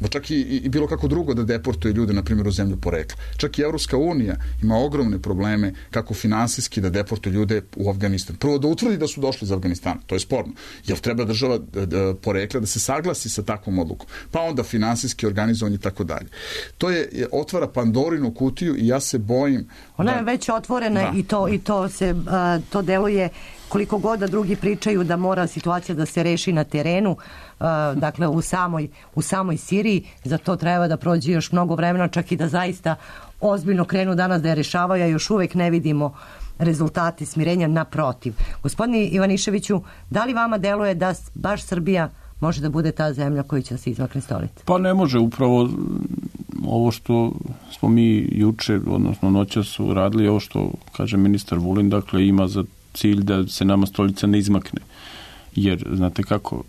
pa čak i, i bilo kako drugo da deportuje ljude, na primjer, u zemlju porekla. Čak i Evropska unija ima ogromne probleme kako finansijski da deportuje ljude u Afganistan. Prvo da utvrdi da su došli iz Afganistana, to je sporno, jer treba država porekla da se saglasi sa takvom odlukom, pa onda finansijski organizovanje i tako dalje. To je, otvara Pandorinu kutiju i ja se bojim... Ona da, je već otvorena da. i to, i to se, a, to deluje koliko god da drugi pričaju da mora situacija da se reši na terenu, uh, dakle u samoj, u samoj Siriji, za to treba da prođe još mnogo vremena, čak i da zaista ozbiljno krenu danas da je rešavaju, a još uvek ne vidimo rezultati smirenja, naprotiv. Gospodine Ivaniševiću, da li vama deluje da baš Srbija može da bude ta zemlja koja će se izmakne stolice? Pa ne može, upravo ovo što smo mi juče, odnosno noća su radili, ovo što kaže ministar Vulin, dakle ima za cilj da se nama stolica ne izmakne. Jer, znate kako,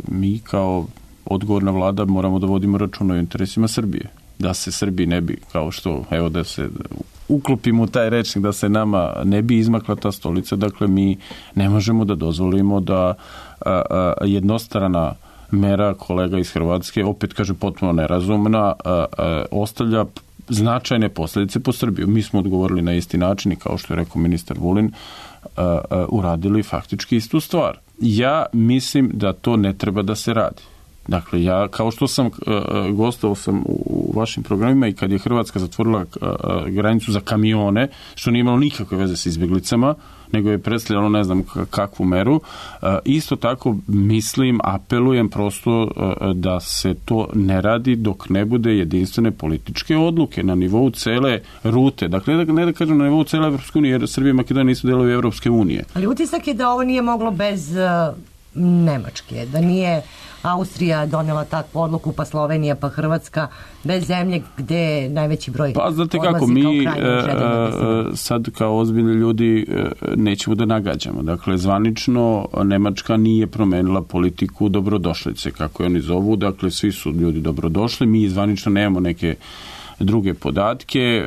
mi kao odgovorna vlada moramo da vodimo računa o interesima Srbije. Da se Srbiji ne bi, kao što, evo da se uklopimo u taj rečnik, da se nama ne bi izmakla ta stolica, dakle mi ne možemo da dozvolimo da a, a, jednostrana mera kolega iz Hrvatske, opet kaže potpuno nerazumna, a, a, ostavlja značajne posljedice po Srbiju. Mi smo odgovorili na isti način i kao što je rekao ministar Vulin, a, a, uradili faktički istu stvar. Ja mislim da to ne treba da se radi. Dakle, ja, kao što sam, gostovao sam u vašim programima i kad je Hrvatska zatvorila granicu za kamione, što nije imalo nikakve veze s izbjeglicama, nego je predstavljalo ne znam kakvu meru, isto tako mislim, apelujem prosto da se to ne radi dok ne bude jedinstvene političke odluke na nivou cele rute. Dakle, ne da, ne da kažem na nivou cele Evropske unije, jer Srbija i Makedonija nisu delovi Evropske unije. Ali utisak je da ovo nije moglo bez uh, Nemačke, da nije Austrija donela takvu odluku, pa Slovenija, pa Hrvatska, bez zemlje gde je najveći broj pa znate kako, mi e, sad kao ozbiljni ljudi e, nećemo da nagađamo. Dakle, zvanično Nemačka nije promenila politiku dobrodošlice, kako je oni zovu, dakle svi su ljudi dobrodošli, mi zvanično nemamo neke druge podatke. E,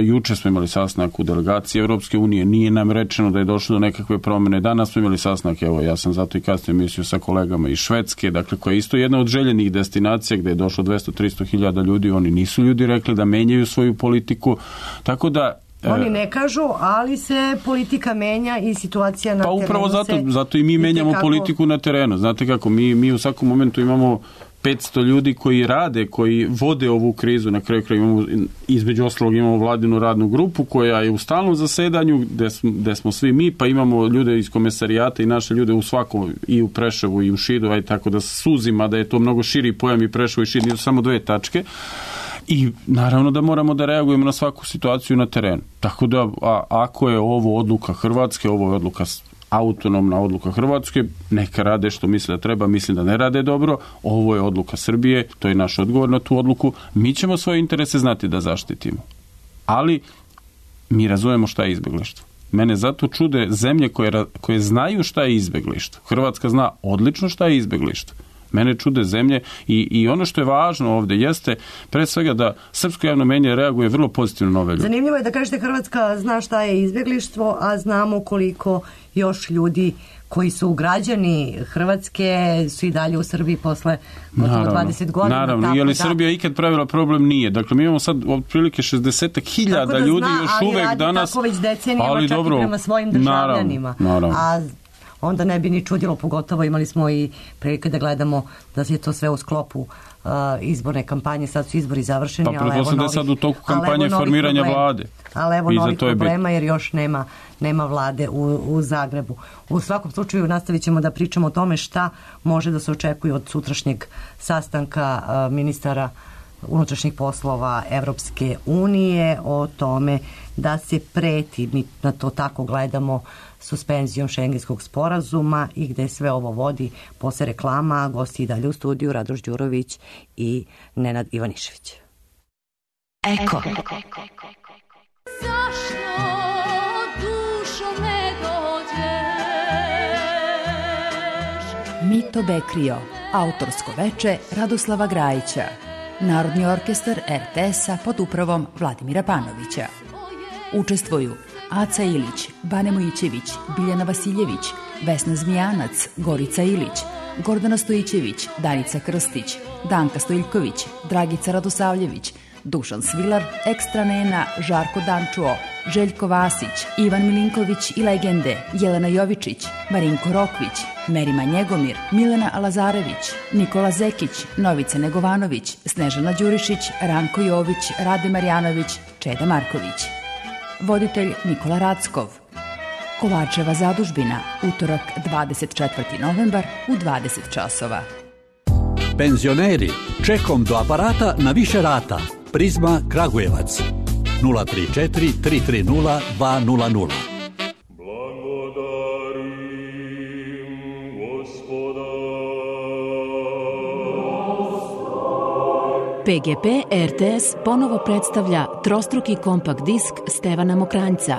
juče smo imali sastanak u delegaciji Evropske unije, nije nam rečeno da je došlo do nekakve promjene. Danas smo imali sastanak, evo ja sam zato i kasnije mislio sa kolegama iz Švedske, dakle koja je isto jedna od željenih destinacija gdje je došlo dvesta do trista hiljada ljudi, oni nisu ljudi rekli da menjaju svoju politiku, tako da oni ne kažu, ali se politika menja i situacija na pa terenu. Pa upravo zato, se zato i mi menjamo kako politiku na terenu. Znate kako, mi, mi u svakom momentu imamo petsto ljudi koji rade, koji vode ovu krizu. Na kraju kraja imamo, između ostalog imamo vladinu radnu grupu koja je u stalnom zasedanju gde smo, gde smo svi mi, pa imamo ljude iz komesarijata i naše ljude u svakom, i u Preševu i u Šidu, aj tako da suzima da je to mnogo širi pojam, i Preševo i Šid nisu samo dve tačke. I naravno da moramo da reagujemo na svaku situaciju na terenu. Tako da a, ako je ovo odluka Hrvatske, ovo je odluka autonomna odluka Hrvatske, neka rade što misle da treba, mislim da ne rade dobro, ovo je odluka Srbije, to je naš odgovor na tu odluku, mi ćemo svoje interese znati da zaštitimo. Ali mi razumemo šta je izbeglištvo. Mene zato čude zemlje koje, koje znaju šta je izbeglištvo. Hrvatska zna odlično šta je izbeglištvo. Mene čude zemlje i, i ono što je važno ovdje jeste pre svega da srpsko javno mnjenje reaguje vrlo pozitivno na ove ljude. Zanimljivo je da kažete Hrvatska zna šta je izbjeglištvo, a znamo koliko još ljudi koji su građani Hrvatske su i dalje u Srbiji posle gotovo dvadeset godina. Naravno, je li Srbija ikad pravila problem? Nije. Dakle, mi imamo sad otprilike šezdeset hiljada ljudi zna, još uvek danas. Ali radi tako već decenijama, ali čak dobro, i prema svojim državljanima. Naravno, naravno. A onda ne bi ni čudilo, pogotovo imali smo i prilike da gledamo da je to sve u sklopu uh, izborne kampanje, sad su izbori završeni, pa, ali evo novih, sad u toku kampanje formiranja problema, vlade. Ali evo novih problema jer još nema, nema vlade u, u Zagrebu. U svakom slučaju nastavit ćemo da pričamo o tome šta može da se očekuje od sutrašnjeg sastanka uh, ministara unutrašnjih poslova Evropske unije, o tome da se preti, mi na to tako gledamo, suspenzijom šengenskog sporazuma i gde sve ovo vodi posle reklama. Gosti i dalje u studiju Radoš Đurović i Nenad Ivanišević. Eko. Zašto dušo ne dođeš? Mito Bekrio, autorsko veče Radoslava Grajića. Narodni orkestar er te es-a pod upravom Vladimira Panovića. Učestvuju Aca Ilić, Bane Mojićević, Biljana Vasiljević, Vesna Zmijanac, Gorica Ilić, Gordana Stojićević, Danica Krstić, Danka Stojiljković, Dragica Radosavljević, Dušan Svilar, Ekstra Nena, Žarko Dančuo, Željko Vasić, Ivan Milinković i legende, Jelena Jovičić, Marinko Rokvić, Merima Njegomir, Milena Lazarević, Nikola Zekić, Novica Negovanović, Snežana Đurišić, Ranko Jović, Rade Marjanović, Čeda Marković. Voditelj Nikola Rackov. Kovačeva zadužbina, utorak dvadeset četvrti novembar u dvadeset časova. Penzioneri, čekom do aparata na više rata. Prizma Kragujevac. nula tri četiri tri tri nula dva nula nula. Pe ge pe er te es ponovo predstavlja trostruki kompakt disk Stevana Mokranjca.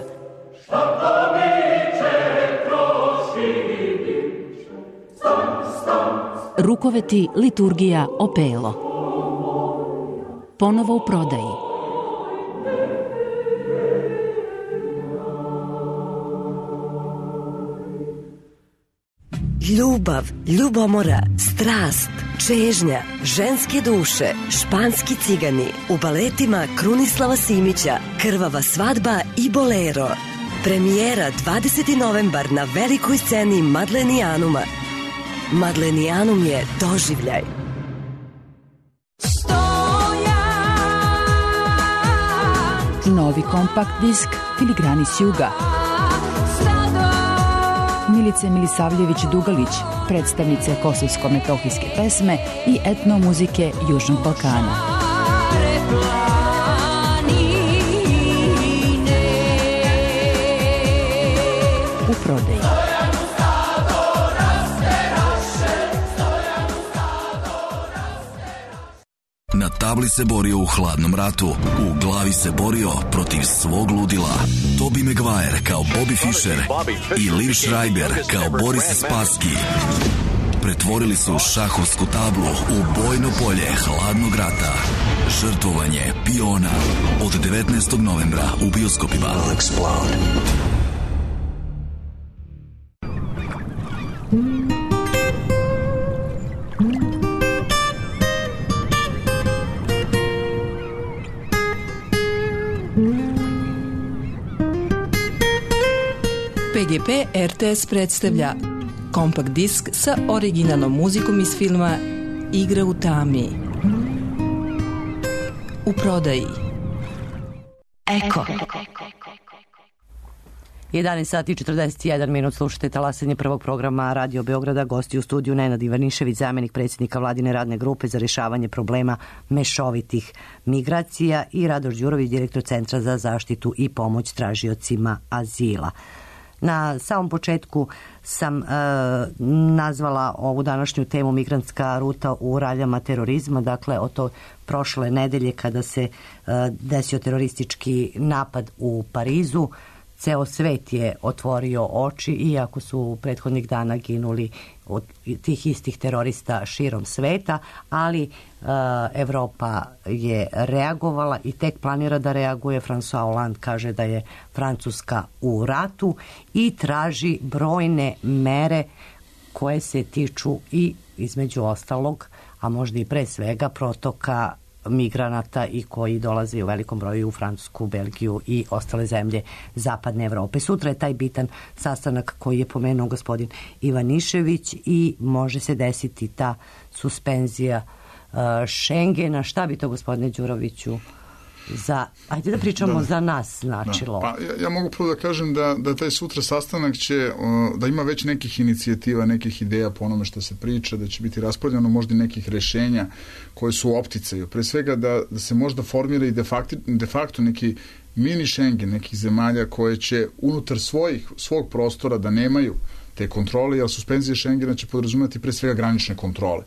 Brukoveti, liturgija, opelo. Ponovo u prodaji. Ljubav, ljubomora, strast, čežnja, ženske duše, španski cigani, u baletima Krunislava Simića, Krvava svadba i Bolero. Premijera dvadeseti novembar na velikoj sceni Madlenijanuma. Madlenijanum je doživljaj. Novi kompakt disk Filigrani s juga. Milice Milisavljević-Dugalić, predstavnice kosovsko-metohijske pesme i etnomuzike Južnog Balkana. U prodaji. Na tabli se borio u hladnom ratu, u glavi se borio protiv svog ludila. Tobey Maguire kao Bobby Fischer i Liv Schreiber kao Boris Spassky pretvorili su šahovsku tablu u bojno polje hladnog rata. Žrtvovanje piona od devetnaestog novembra u bioskopima. P G P R T S predstavlja kompakt disk sa originalnom muzikom iz filma Igra u tami. U prodaji. Eko. jedanaest sati i četrdeset jedan minut, slušate talasanje prvog programa Radio Beograda. Gosti u studiju Nenad Ivanišević, zamjenik predsjednika Vladine radne grupe za rješavanje problema mešovitih migracija, i Radoš Đurović, direktor Centra za zaštitu i pomoć tražiocima azila. Na samom početku sam e, nazvala ovu današnju temu migrantska ruta u raljama terorizma, dakle od to prošle nedelje kada se e, desio teroristički napad u Parizu. Ceo svet je otvorio oči, iako su prethodnih dana ginuli od tih istih terorista širom sveta, ali e, Evropa je reagovala i tek planira da reaguje. François Hollande kaže da je Francuska u ratu i traži brojne mere koje se tiču i između ostalog, a možda i pre svega, protoka migranata i koji dolaze u velikom broju u Francusku, Belgiju i ostale zemlje zapadne Evrope. Sutra je taj bitan sastanak koji je pomenuo gospodin Ivanišević i može se desiti ta suspenzija uh, Schengena. Šta bi to, gospodine Đuroviću, za, ajde da pričamo da, za nas značilo? Da. Pa, ja, ja mogu prvo da kažem da, da taj sutra sastanak će, da ima već nekih inicijativa, nekih ideja po onome što se priča, da će biti raspodeljeno možda nekih rešenja koje su u opticaju. Pre svega da, da se možda formira i de facto, de facto neki mini Schengen, nekih zemalja koje će unutar svojih, svog prostora da nemaju te kontrole, jer suspenzija Schengena će podrazumeti pre svega granične kontrole.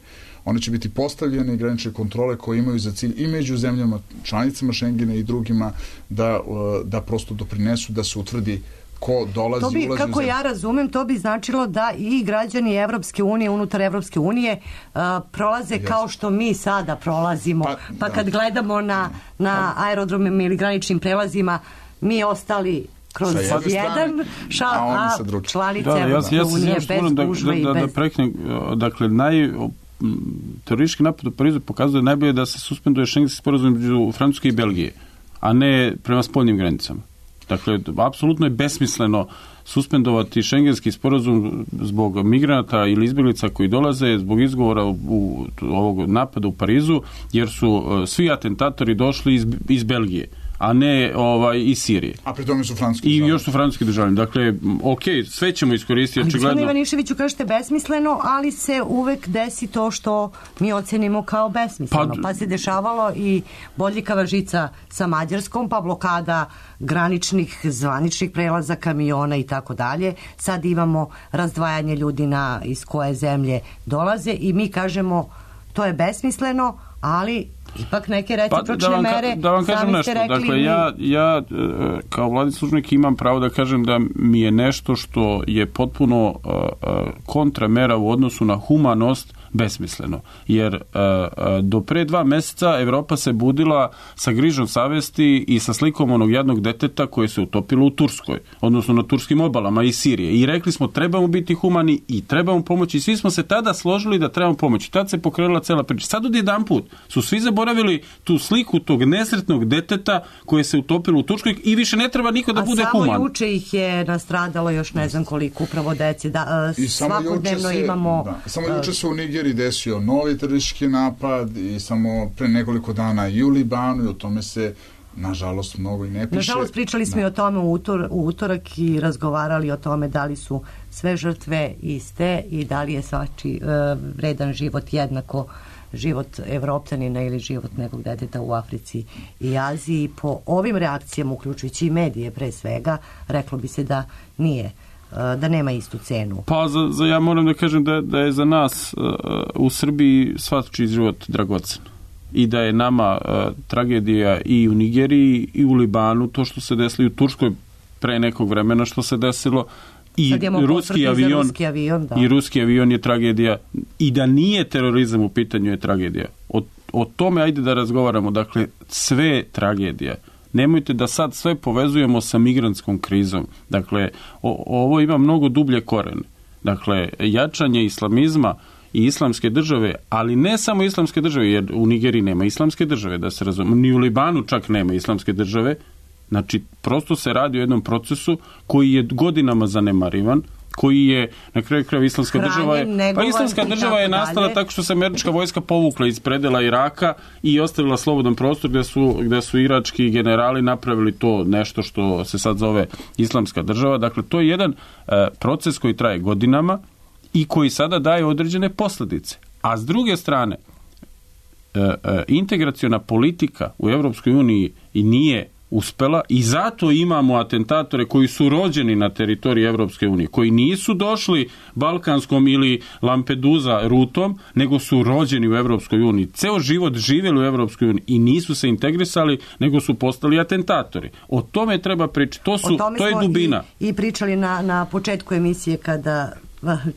One će biti postavljene i granične kontrole koje imaju za cilj i među zemljama, članicama Schengena i drugima da, da prosto doprinesu da se utvrdi ko dolazi, to bi, ulazi kako ja razumem, to bi značilo da i građani Evropske unije, unutar Evropske unije, uh, prolaze yes. kao što mi sada prolazimo. Pa, pa kad da. gledamo na, na aerodromima ili graničnim prelazima, mi ostali kroz jedan šal, a, a članice da, Evropske ja, ja unije bez gužve i da, bez... Da, da preknem, dakle, naj... teroristički napad u Parizu pokazuje najbolje da se suspenduje šengenski sporazum između Francuske i Belgije, a ne prema spoljnim granicama. Dakle, apsolutno je besmisleno suspendovati šengenski sporazum zbog migranata ili izbjeglica koji dolaze zbog izgovora u, u ovog napada u Parizu, jer su uh, svi atentatori došli iz, iz Belgije, a ne ovaj, iz Sirije. A pri tome su francuski I državljani. još su francuski državljani. Dakle, ok, sve ćemo iskoristiti. Ali očigledno. gospodine Ivaniševiću, kažete besmisleno, ali se uvek desi to što mi ocenimo kao besmisleno. Pa, pa se dešavalo i bodljikava žica sa Mađarskom, pa blokada graničnih, zvaničnih prelaza, kamiona i tako dalje. Sad imamo razdvajanje ljudi na iz koje zemlje dolaze i mi kažemo to je besmisleno, ali ipak neke recipročne pa, da mere, da vam kažem nešto. Rekli, dakle, ja, ja kao vladin službenik imam pravo da kažem da mi je nešto što je potpuno uh, kontramera u odnosu na humanost besmisleno. Jer uh, do pre dva meseca Evropa se budila sa grižom savesti i sa slikom onog jednog deteta koje se utopilo u Turskoj, odnosno na turskim obalama i Sirije. I rekli smo trebamo biti humani i trebamo pomoći. Svi smo se tada složili da trebamo pomoći. Tad se pokrenula cela priča. Sad od jedan put su svi zaboravili tu sliku tog nesretnog deteta koje se utopilo u Turskoj i više ne treba niko da A bude human. A samo juče ih je nastradalo još ne znam koliko upravo deci. Da, I svakodnevno se, imamo... Da, samo juče se u Nigeriji desio novi teroristički napad i samo pre nekoliko dana i u Libanu i o tome se nažalost mnogo i ne piše. Nažalost pričali smo da. i o tome u, utor, u utorak i razgovarali o tome da li su sve žrtve iste i da li je svači uh, vredan život jednako život Evropljanina ili život nekog deteta u Africi i Aziji. Po ovim reakcijama, uključujući i medije pre svega, reklo bi se da nije, da nema istu cenu. Pa za, za ja moram da kažem da, da je za nas uh, u Srbiji svačiji život dragocen. I da je nama uh, tragedija i u Nigeriji i u Libanu, to što se desilo i u Turskoj pre nekog vremena što se desilo, i ruski avion, ruski avion da. i ruski avion je tragedija i da nije terorizam u pitanju je tragedija. O, o tome ajde da razgovaramo. Dakle, sve tragedija. Nemojte da sad sve povezujemo sa migrantskom krizom. Dakle, o, ovo ima mnogo dublje korene. Dakle, jačanje islamizma i islamske države, ali ne samo islamske države, jer u Nigeriji nema islamske države, da se razumemo, ni u Libanu čak nema islamske države. Znači, prosto se radi o jednom procesu koji je godinama zanemarivan, koji je, na kraju krajeva, islamska Hranjen, država je, pa islamska država je nastala dalje. Tako što se američka vojska povukla iz predela Iraka i ostavila slobodan prostor gde su, gde su irački generali napravili to nešto što se sad zove islamska država. Dakle, to je jedan uh, proces koji traje godinama i koji sada daje određene posljedice. A s druge strane, uh, uh, integraciona politika u Evropskoj uniji i nije uspela i zato imamo atentatore koji su rođeni na teritoriji Evropske unije, koji nisu došli balkanskom ili Lampedusa rutom, nego su rođeni u Evropskoj uniji. Ceo život živjeli u Evropskoj uniji i nisu se integrisali, nego su postali atentatori. O tome treba pričati. To, su, to je dubina. I, i pričali na, na početku emisije kada,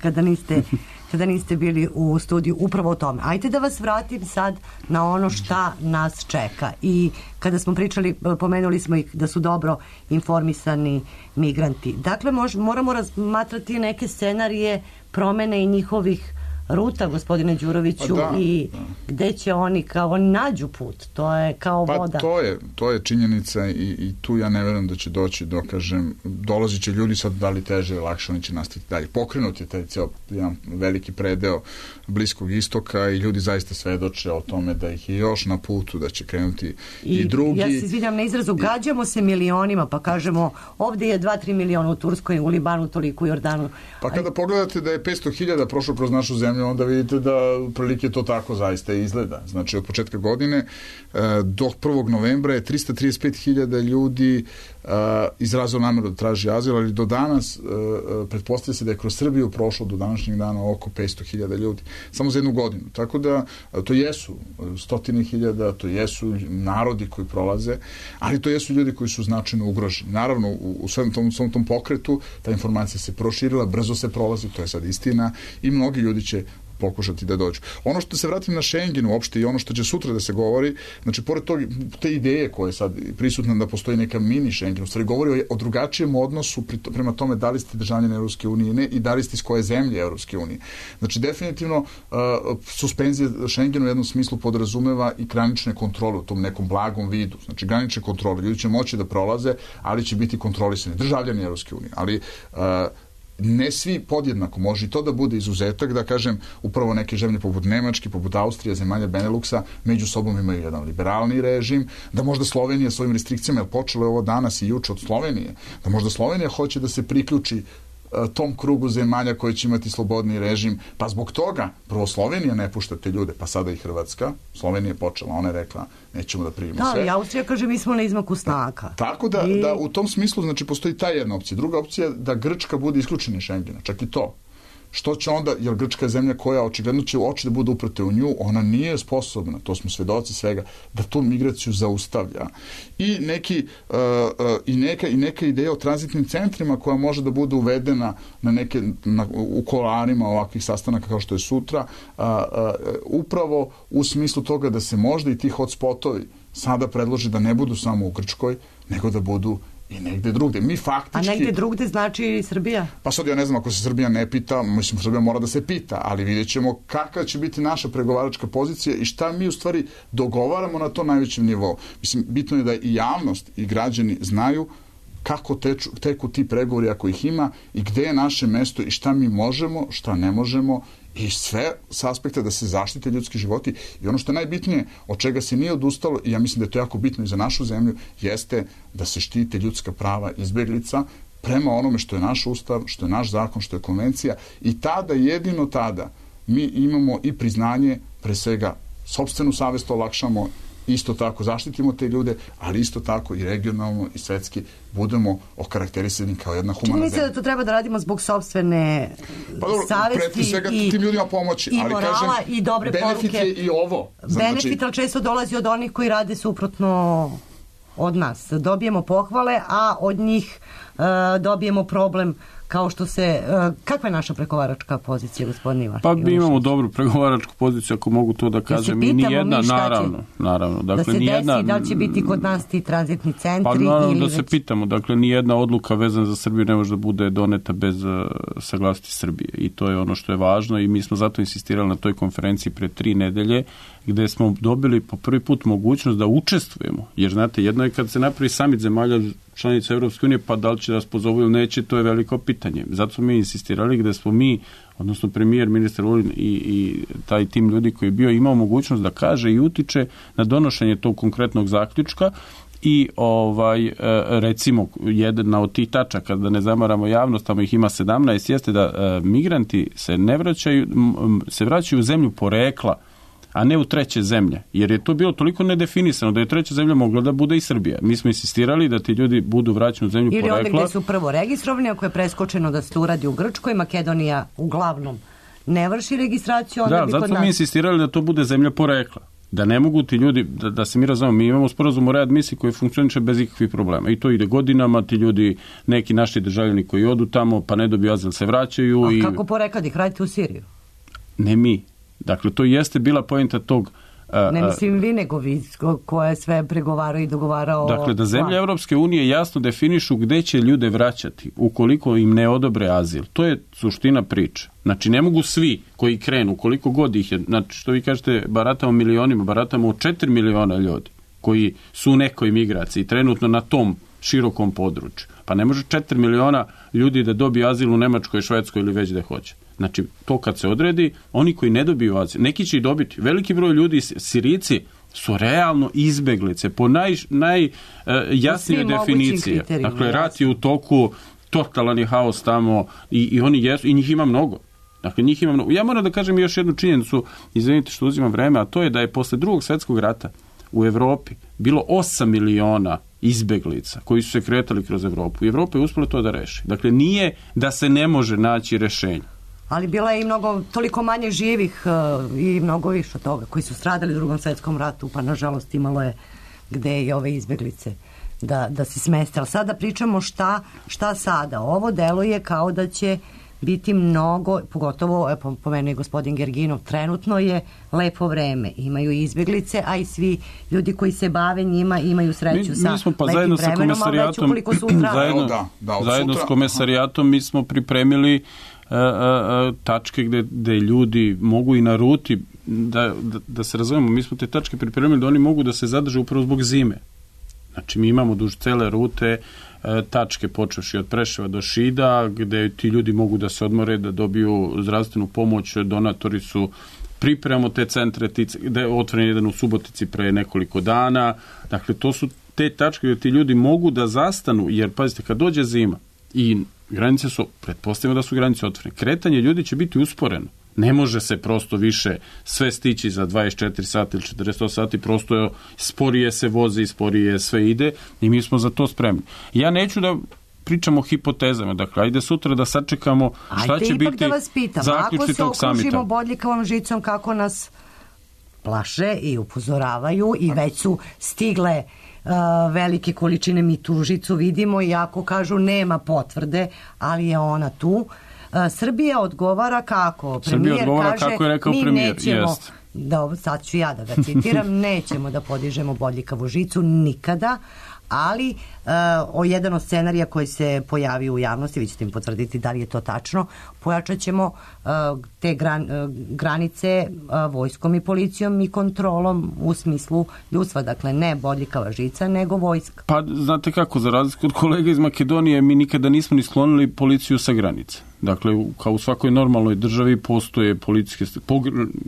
kada niste... kada niste bili u studiju upravo o tome. Ajde da vas vratim sad na ono šta nas čeka. I kada smo pričali, pomenuli smo ih da su dobro informisani migranti. Dakle, mož, moramo razmatrati neke scenarije promene i njihovih ruta, gospodine Đuroviću, pa da, i da. gde će oni kao oni nađu put. To je kao pa voda. To je, to je činjenica i, i tu ja ne verujem da će doći do, kažem, dolazit će ljudi sad da li teže, lakše, oni će nastaviti dalje. Pokrenut je taj cijel jedan veliki predeo Bliskog istoka i ljudi zaista svedoče o tome da ih je još na putu, da će krenuti i, i drugi. Ja se izvinjam na izrazu, gađamo se milionima, pa kažemo ovdje je dva tri miliona u Turskoj, u Libanu toliko, u Jordanu. Pa kada pogledate da je petsto hiljada prošlo kroz našu zemlju, onda vidite da prilike to tako zaista izgleda. Znači, od početka godine do prvog novembra je tristo trideset pet hiljada ljudi izrazilo nameru da traži azil, ali do danas pretpostavlja se da je kroz Srbiju prošlo do današnjeg dana oko petsto hiljada ljudi. Samo za jednu godinu. Tako da to jesu stotine hiljada, to jesu narodi koji prolaze, ali to jesu ljudi koji su značajno ugroženi. Naravno, u, u svom tom, svom tom pokretu ta informacija se proširila, brzo se prolazi, to je sad istina i mnogi ljudi će pokušati da dođu. Ono što se vratim na Schengen uopšte i ono što će sutra da se govori, znači pored tog, te ideje koje je sad prisutna da postoji neka mini Schengen, u stvari govori o, o drugačijem odnosu pri, prema tome da li ste državljani Evropske unije ne, i da li ste iz koje zemlje Evropske unije. Znači definitivno uh, suspenzija Schengena u jednom smislu podrazumeva i granične kontrole u tom nekom blagom vidu. Znači granične kontrole. Ljudi će moći da prolaze, ali će biti kontrolisani. Državljani Evropske unije. Ali uh, ne svi podjednako, može i to da bude izuzetak, da kažem, upravo neke zemlje poput Nemačke, poput Austrije, zemalja Beneluksa, među sobom imaju jedan liberalni režim, da možda Slovenija svojim restrikcijama, jer počelo je ovo danas i juče od Slovenije, da možda Slovenija hoće da se priključi tom krugu zemalja koji će imati slobodni režim, pa zbog toga prvo Slovenija ne pušta te ljude, pa sada i Hrvatska. Slovenija je počela, ona je rekla nećemo da primimo da, sve. Da, Austrija kaže mi smo na izmaku snaka. Tako da, I... da u tom smislu znači postoji ta jedna opcija. Druga opcija je da Grčka bude isključena iz Schengena, čak i to. što će onda, jer Grčka je zemlja koja očigledno će oči da bude uprte u nju, ona nije sposobna, to smo svedoci svega, da tu migraciju zaustavlja. I neki uh, uh, i neka i neka ideja o tranzitnim centrima koja može da bude uvedena na neke na, u kolarima ovakvih sastanaka kao što je sutra, uh, uh, upravo u smislu toga da se možda i ti hotspotovi sada predloži da ne budu samo u Grčkoj, nego da budu i negde drugde. Mi faktički... A negde drugde znači Srbija? Pa sad ja ne znam, ako se Srbija ne pita, mislim, Srbija mora da se pita, ali vidjet ćemo kakva će biti naša pregovaračka pozicija i šta mi u stvari dogovaramo na to najvećem nivou. Mislim, bitno je da i javnost i građani znaju kako teču, teku ti pregovori ako ih ima i gde je naše mesto i šta mi možemo, šta ne možemo i sve s aspekta da se zaštite ljudski životi. I ono što je najbitnije, od čega se nije odustalo, i ja mislim da je to jako bitno i za našu zemlju, jeste da se štite ljudska prava izbeglica prema onome što je naš ustav, što je naš zakon, što je konvencija. I tada, jedino tada, mi imamo i priznanje, pre svega, sopstvenu savest olakšamo, isto tako zaštitimo te ljude, ali isto tako i regionalno i svetski budemo okarakterisani kao jedna humana zemlja. Čini mi se da to treba da radimo zbog sopstvene pa dobro, savesti svega, i, tim ljudima pomoći, i ali morala kažem, i dobre benefit poruke. Je i ovo. Benefit, ali često dolazi od onih koji rade suprotno od nas. Dobijemo pohvale, a od njih uh, dobijemo problem kao što se... Uh, kakva je naša pregovaračka pozicija, gospodin Ivan? Pa mi imamo dobru pregovaračku poziciju, ako mogu to da kažem. I ni jedna, mi naravno, naravno. Dakle, da se ni jedna, desi, da li će biti kod nas ti tranzitni centri? Pa naravno ili da već... se pitamo. Dakle, ni jedna odluka vezana za Srbiju ne može da bude doneta bez uh, saglasnosti Srbije. I to je ono što je važno i mi smo zato insistirali na toj konferenciji pre tri nedelje, gde smo dobili po prvi put mogućnost da učestvujemo. Jer, znate, jedno je kad se napravi samit zemalja članica Evropske unije, pa da li će da nas pozovu ili neće, to je veliko pitanje. Zato smo mi insistirali gde smo mi, odnosno premijer, ministar Vulin i, i taj tim ljudi koji je bio imao mogućnost da kaže i utiče na donošenje tog konkretnog zaključka i ovaj recimo jedna od tih tačaka, da ne zamaramo javnost, tamo ih ima sedamnaest, jeste da e, migranti se ne vraćaju, se vraćaju u zemlju porekla, a ne u treće zemlje, jer je to bilo toliko nedefinisano da je treća zemlja mogla da bude i Srbija. Mi smo insistirali da ti ljudi budu vraćani u zemlju ili porekla. Ili ovdje gde su prvo registrovani, ako je preskočeno da se to uradi u Grčkoj, Makedonija uglavnom ne vrši registraciju, onda da, bi kod nas... Da, zato mi insistirali da to bude zemlja porekla. Da ne mogu ti ljudi, da, da se mi razumemo, mi imamo sporazum o readmisiji koji funkcioniše bez ikakvih problema. I to ide godinama, ti ljudi, neki naši državljani koji odu tamo, pa ne dobiju azil, se vraćaju. A i... kako porekla da ih radite u Siriju? Ne mi. Dakle, to jeste bila poenta tog... A, ne mislim vi, nego vi koja je sve pregovarao i dogovarao... Dakle, da zemlje Evropske unije jasno definišu gde će ljude vraćati ukoliko im ne odobre azil. To je suština priče. Znači, ne mogu svi koji krenu, koliko god ih je, znači, što vi kažete, baratamo milionima, baratamo od četiri miliona ljudi koji su u nekoj migraciji, trenutno na tom širokom području. Pa ne može četiri miliona ljudi da dobije azil u Nemačkoj, Švedskoj ili već da hoće. Znači, to kad se odredi, oni koji ne dobiju azil, neki će i dobiti. Veliki broj ljudi, Sirijci, su realno izbeglice po naj, najjasnijoj uh, definiciji. Dakle, rat je u toku, totalan je haos tamo i, i oni jesu, i njih ima mnogo. Dakle, njih ima mnogo. Ja moram da kažem još jednu činjenicu, izvinite što uzimam vreme, a to je da je posle drugog svjetskog rata u Evropi bilo osam miliona izbeglica koji su se kretali kroz Evropu. I Evropa je uspela to da reši. Dakle, nije da se ne može naći rešenje. Ali bila je i mnogo, toliko manje živih uh, i mnogo više od toga koji su stradali u drugom svjetskom ratu, pa nažalost imalo je gde i ove izbeglice da, da se smeste. Ali sada pričamo šta, šta sada. Ovo deluje kao da će biti mnogo, pogotovo, po, po meni gospodin Gerginov, trenutno je lepo vreme. Imaju izbeglice, a i svi ljudi koji se bave njima imaju sreću mi, sa mi smo, pa lepim vremenom, ali već ukoliko sutra... zajedno, da, da, zajedno sutra, s komesarijatom mi smo pripremili A, a, tačke gde, gde ljudi mogu i na ruti da, da, da se razumemo, mi smo te tačke pripremili da oni mogu da se zadrže upravo zbog zime. Znači mi imamo duž cele rute a, tačke počevši od Preševa do Šida gde ti ljudi mogu da se odmore, da dobiju zdravstvenu pomoć, donatori su pripremamo te centre, gde je otvoren jedan u Subotici pre nekoliko dana. Dakle, to su te tačke gde ti ljudi mogu da zastanu, jer pazite, kad dođe zima i granice su, pretpostavljamo da su granice otvorene. Kretanje ljudi će biti usporeno. Ne može se prosto više sve stići za dvadeset četiri sata ili četrdeset osam sati, prosto je, sporije se vozi, sporije sve ide i mi smo za to spremni. Ja neću da pričamo o hipotezama. Dakle, ajde sutra da sačekamo šta ajde će ipak biti da vas pitam, zaključci tog samita. ako se okružimo bodljikavom žicom, kako nas plaše i upozoravaju i već su stigle uh, velike količine, mi tu žicu vidimo, i ako kažu nema potvrde, ali je ona tu. Uh, Srbija odgovara kako? Srbija Premijer odgovara kaže, kako je rekao mi premijer, nećemo, jest. da, sad ću ja da ga citiram, nećemo da podižemo bodljikavu žicu nikada, ali uh, o jedan od scenarija koji se pojavio u javnosti, vi ćete im potvrditi da li je to tačno, pojačat ćemo uh, te gran, uh, granice uh, vojskom i policijom i kontrolom u smislu ljudstva, dakle ne bodljikava žica, nego vojska. Pa znate kako, za razliku od kolega iz Makedonije, mi nikada nismo ni sklonili policiju sa granice. Dakle, kao u svakoj normalnoj državi postoje policijske,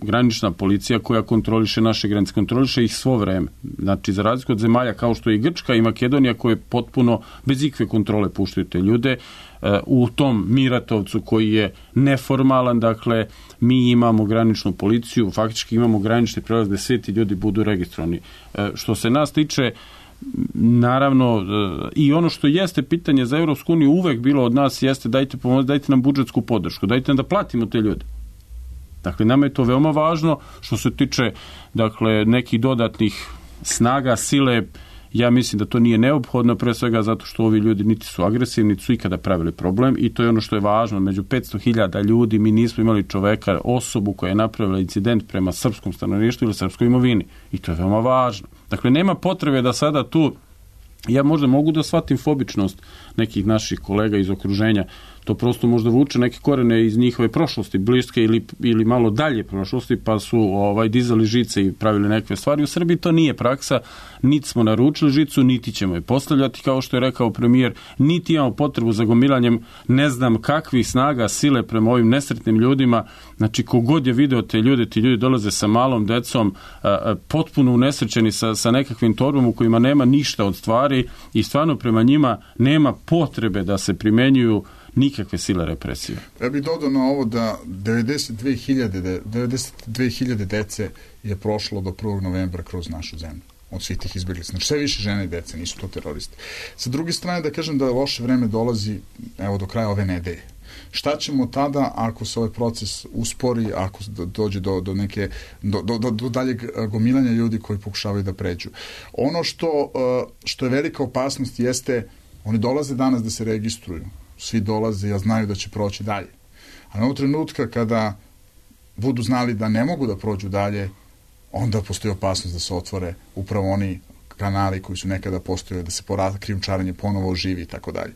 granična policija koja kontroliše naše granice, kontroliše ih svo vreme. Znači, za razliku od zemalja kao što je i Grčka i Makedonija, koje potpuno bez ikve kontrole puštaju te ljude, u tom Miratovcu koji je neformalan, dakle, mi imamo graničnu policiju, faktički imamo granični prelaz gde sve ti ljudi budu registrovani. Što se nas tiče, naravno, i ono što jeste pitanje za Evropsku uniju uvek bilo od nas jeste dajte pomoć, dajte nam budžetsku podršku, dajte nam da platimo te ljude. Dakle, nama je to veoma važno. Što se tiče, dakle, nekih dodatnih snaga, sile, ja mislim da to nije neophodno, pre svega zato što ovi ljudi niti su agresivni, niti su ikada pravili problem, i to je ono što je važno. Među petsto hiljada ljudi mi nismo imali čoveka, osobu koja je napravila incident prema srpskom stanovništvu ili srpskoj imovini, i to je veoma važno. Dakle, nema potrebe da sada tu, ja možda mogu da shvatim fobičnost nekih naših kolega iz okruženja, to prosto možda vuče neke korene iz njihove prošlosti, bliske ili, ili malo dalje prošlosti, pa su ovaj, dizali žice i pravili neke stvari. U Srbiji to nije praksa, niti smo naručili žicu, niti ćemo je postavljati, kao što je rekao premijer, niti imamo potrebu za gomilanjem ne znam kakvih snaga, sile prema ovim nesretnim ljudima. Znači, kogod je video te ljude, ti ljudi dolaze sa malom decom, a, a, potpuno unesrećeni sa, sa nekakvim torbom u kojima nema ništa od stvari, i stvarno prema njima nema potrebe da se primenjuju nikakve sile represije. Ja bih dodao na ovo da devedeset dve hiljade, devedeset dve hiljade dece je prošlo do prvog novembra kroz našu zemlju od svih tih izbjeglica. Znači, sve više žene i dece, nisu to teroristi. Sa druge strane, da kažem da loše vreme dolazi, evo, do kraja ove nedelje. Šta ćemo tada ako se ovaj proces uspori, ako dođe do, do neke do, do, do daljeg gomilanja ljudi koji pokušavaju da pređu? Ono što, što je velika opasnost jeste, oni dolaze danas da se registruju, svi dolaze, ja znaju da će proći dalje. A na trenutka kada budu znali da ne mogu da prođu dalje, onda postoji opasnost da se otvore upravo oni kanali koji su nekada postojali, da se porada krijumčarenje ponovo oživi i tako dalje.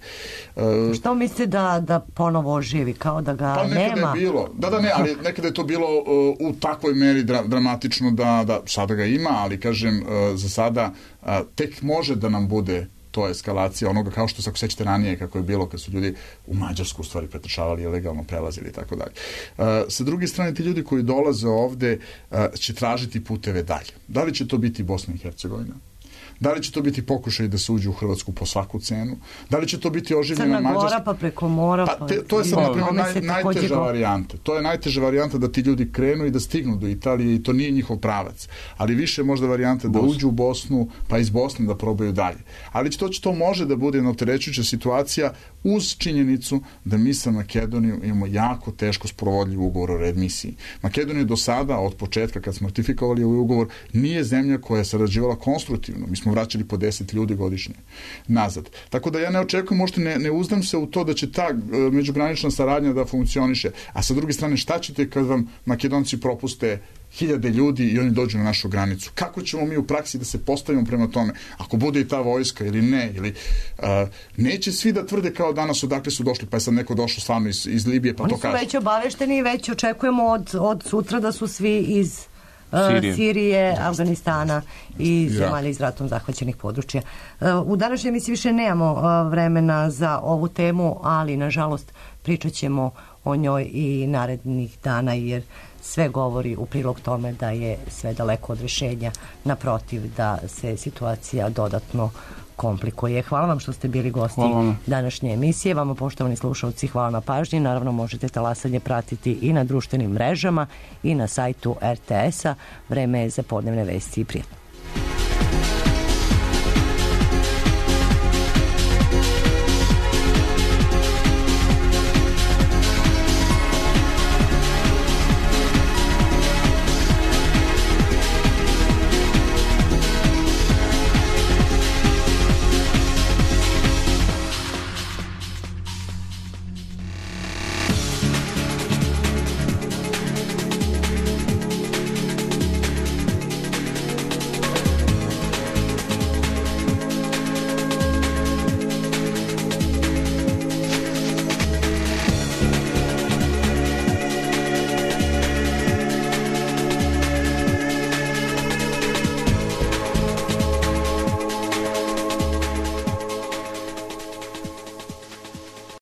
E, Što mislite da, da ponovo oživi, kao da ga pa nekada nema? Je bilo, da, da, ne, ali nekada je to bilo uh, u takvoj meri dra, dramatično da, da sada ga ima, ali kažem, uh, za sada uh, tek može da nam bude to eskalacija onoga, kao što se ako sećate ranije kako je bilo kad su ljudi u Mađarsku u stvari pretrčavali, ilegalno prelazili i tako dalje. Uh, sa druge strane, ti ljudi koji dolaze ovde uh, će tražiti puteve dalje. Da li će to biti Bosna i Hercegovina? Da li će to biti pokušaj da se uđe u Hrvatsku po svaku cenu? Da li će to biti oživljena Mađarska? Crna Gora pa preko mora? Pa, pa te, to je sad, na primjer, naj, najteža varijanta. To je najteža varijanta da ti ljudi krenu i da stignu do Italije i to nije njihov pravac. Ali više možda varijanta da uđu u Bosnu, pa iz Bosne da probaju dalje. Ali to, to može da bude jedna opterećujuća situacija uz činjenicu da mi sa Makedonijom imamo jako teško sprovodljiv ugovor o readmisiji. Makedonija do sada, od početka kad smo ratifikovali ovaj ugovor, nije zemlja koja je sarađivala konstruktivno. Mi smo vraćali po deset ljudi godišnje nazad. Tako da ja ne očekujem, možda ne, ne uzdam se u to da će ta uh, međugranična saradnja da funkcioniše. A sa druge strane, šta ćete kad vam Makedonci propuste hiljade ljudi i oni dođu na našu granicu? Kako ćemo mi u praksi da se postavimo prema tome? Ako bude i ta vojska ili ne, ili uh, neće svi da tvrde kao danas odakle su došli, pa je sad neko došao stvarno iz, iz Libije, pa oni to kaže. Oni su već obavešteni i već očekujemo od, od sutra da su svi iz uh, Sirije, Sirije Afganistana i zemalja iz ratom zahvaćenih područja. Uh, u današnjoj emisiji više nemamo uh, vremena za ovu temu, ali nažalost pričat ćemo o njoj i narednih dana, jer sve govori u prilog tome da je sve daleko od rješenja, naprotiv da se situacija dodatno komplikuje. Hvala vam što ste bili gosti današnje emisije. Vama, poštovani slušalci, hvala na pažnji. Naravno, možete talasanje pratiti i na društvenim mrežama i na sajtu er te es a. Vreme je za podnevne vesti i prijatno.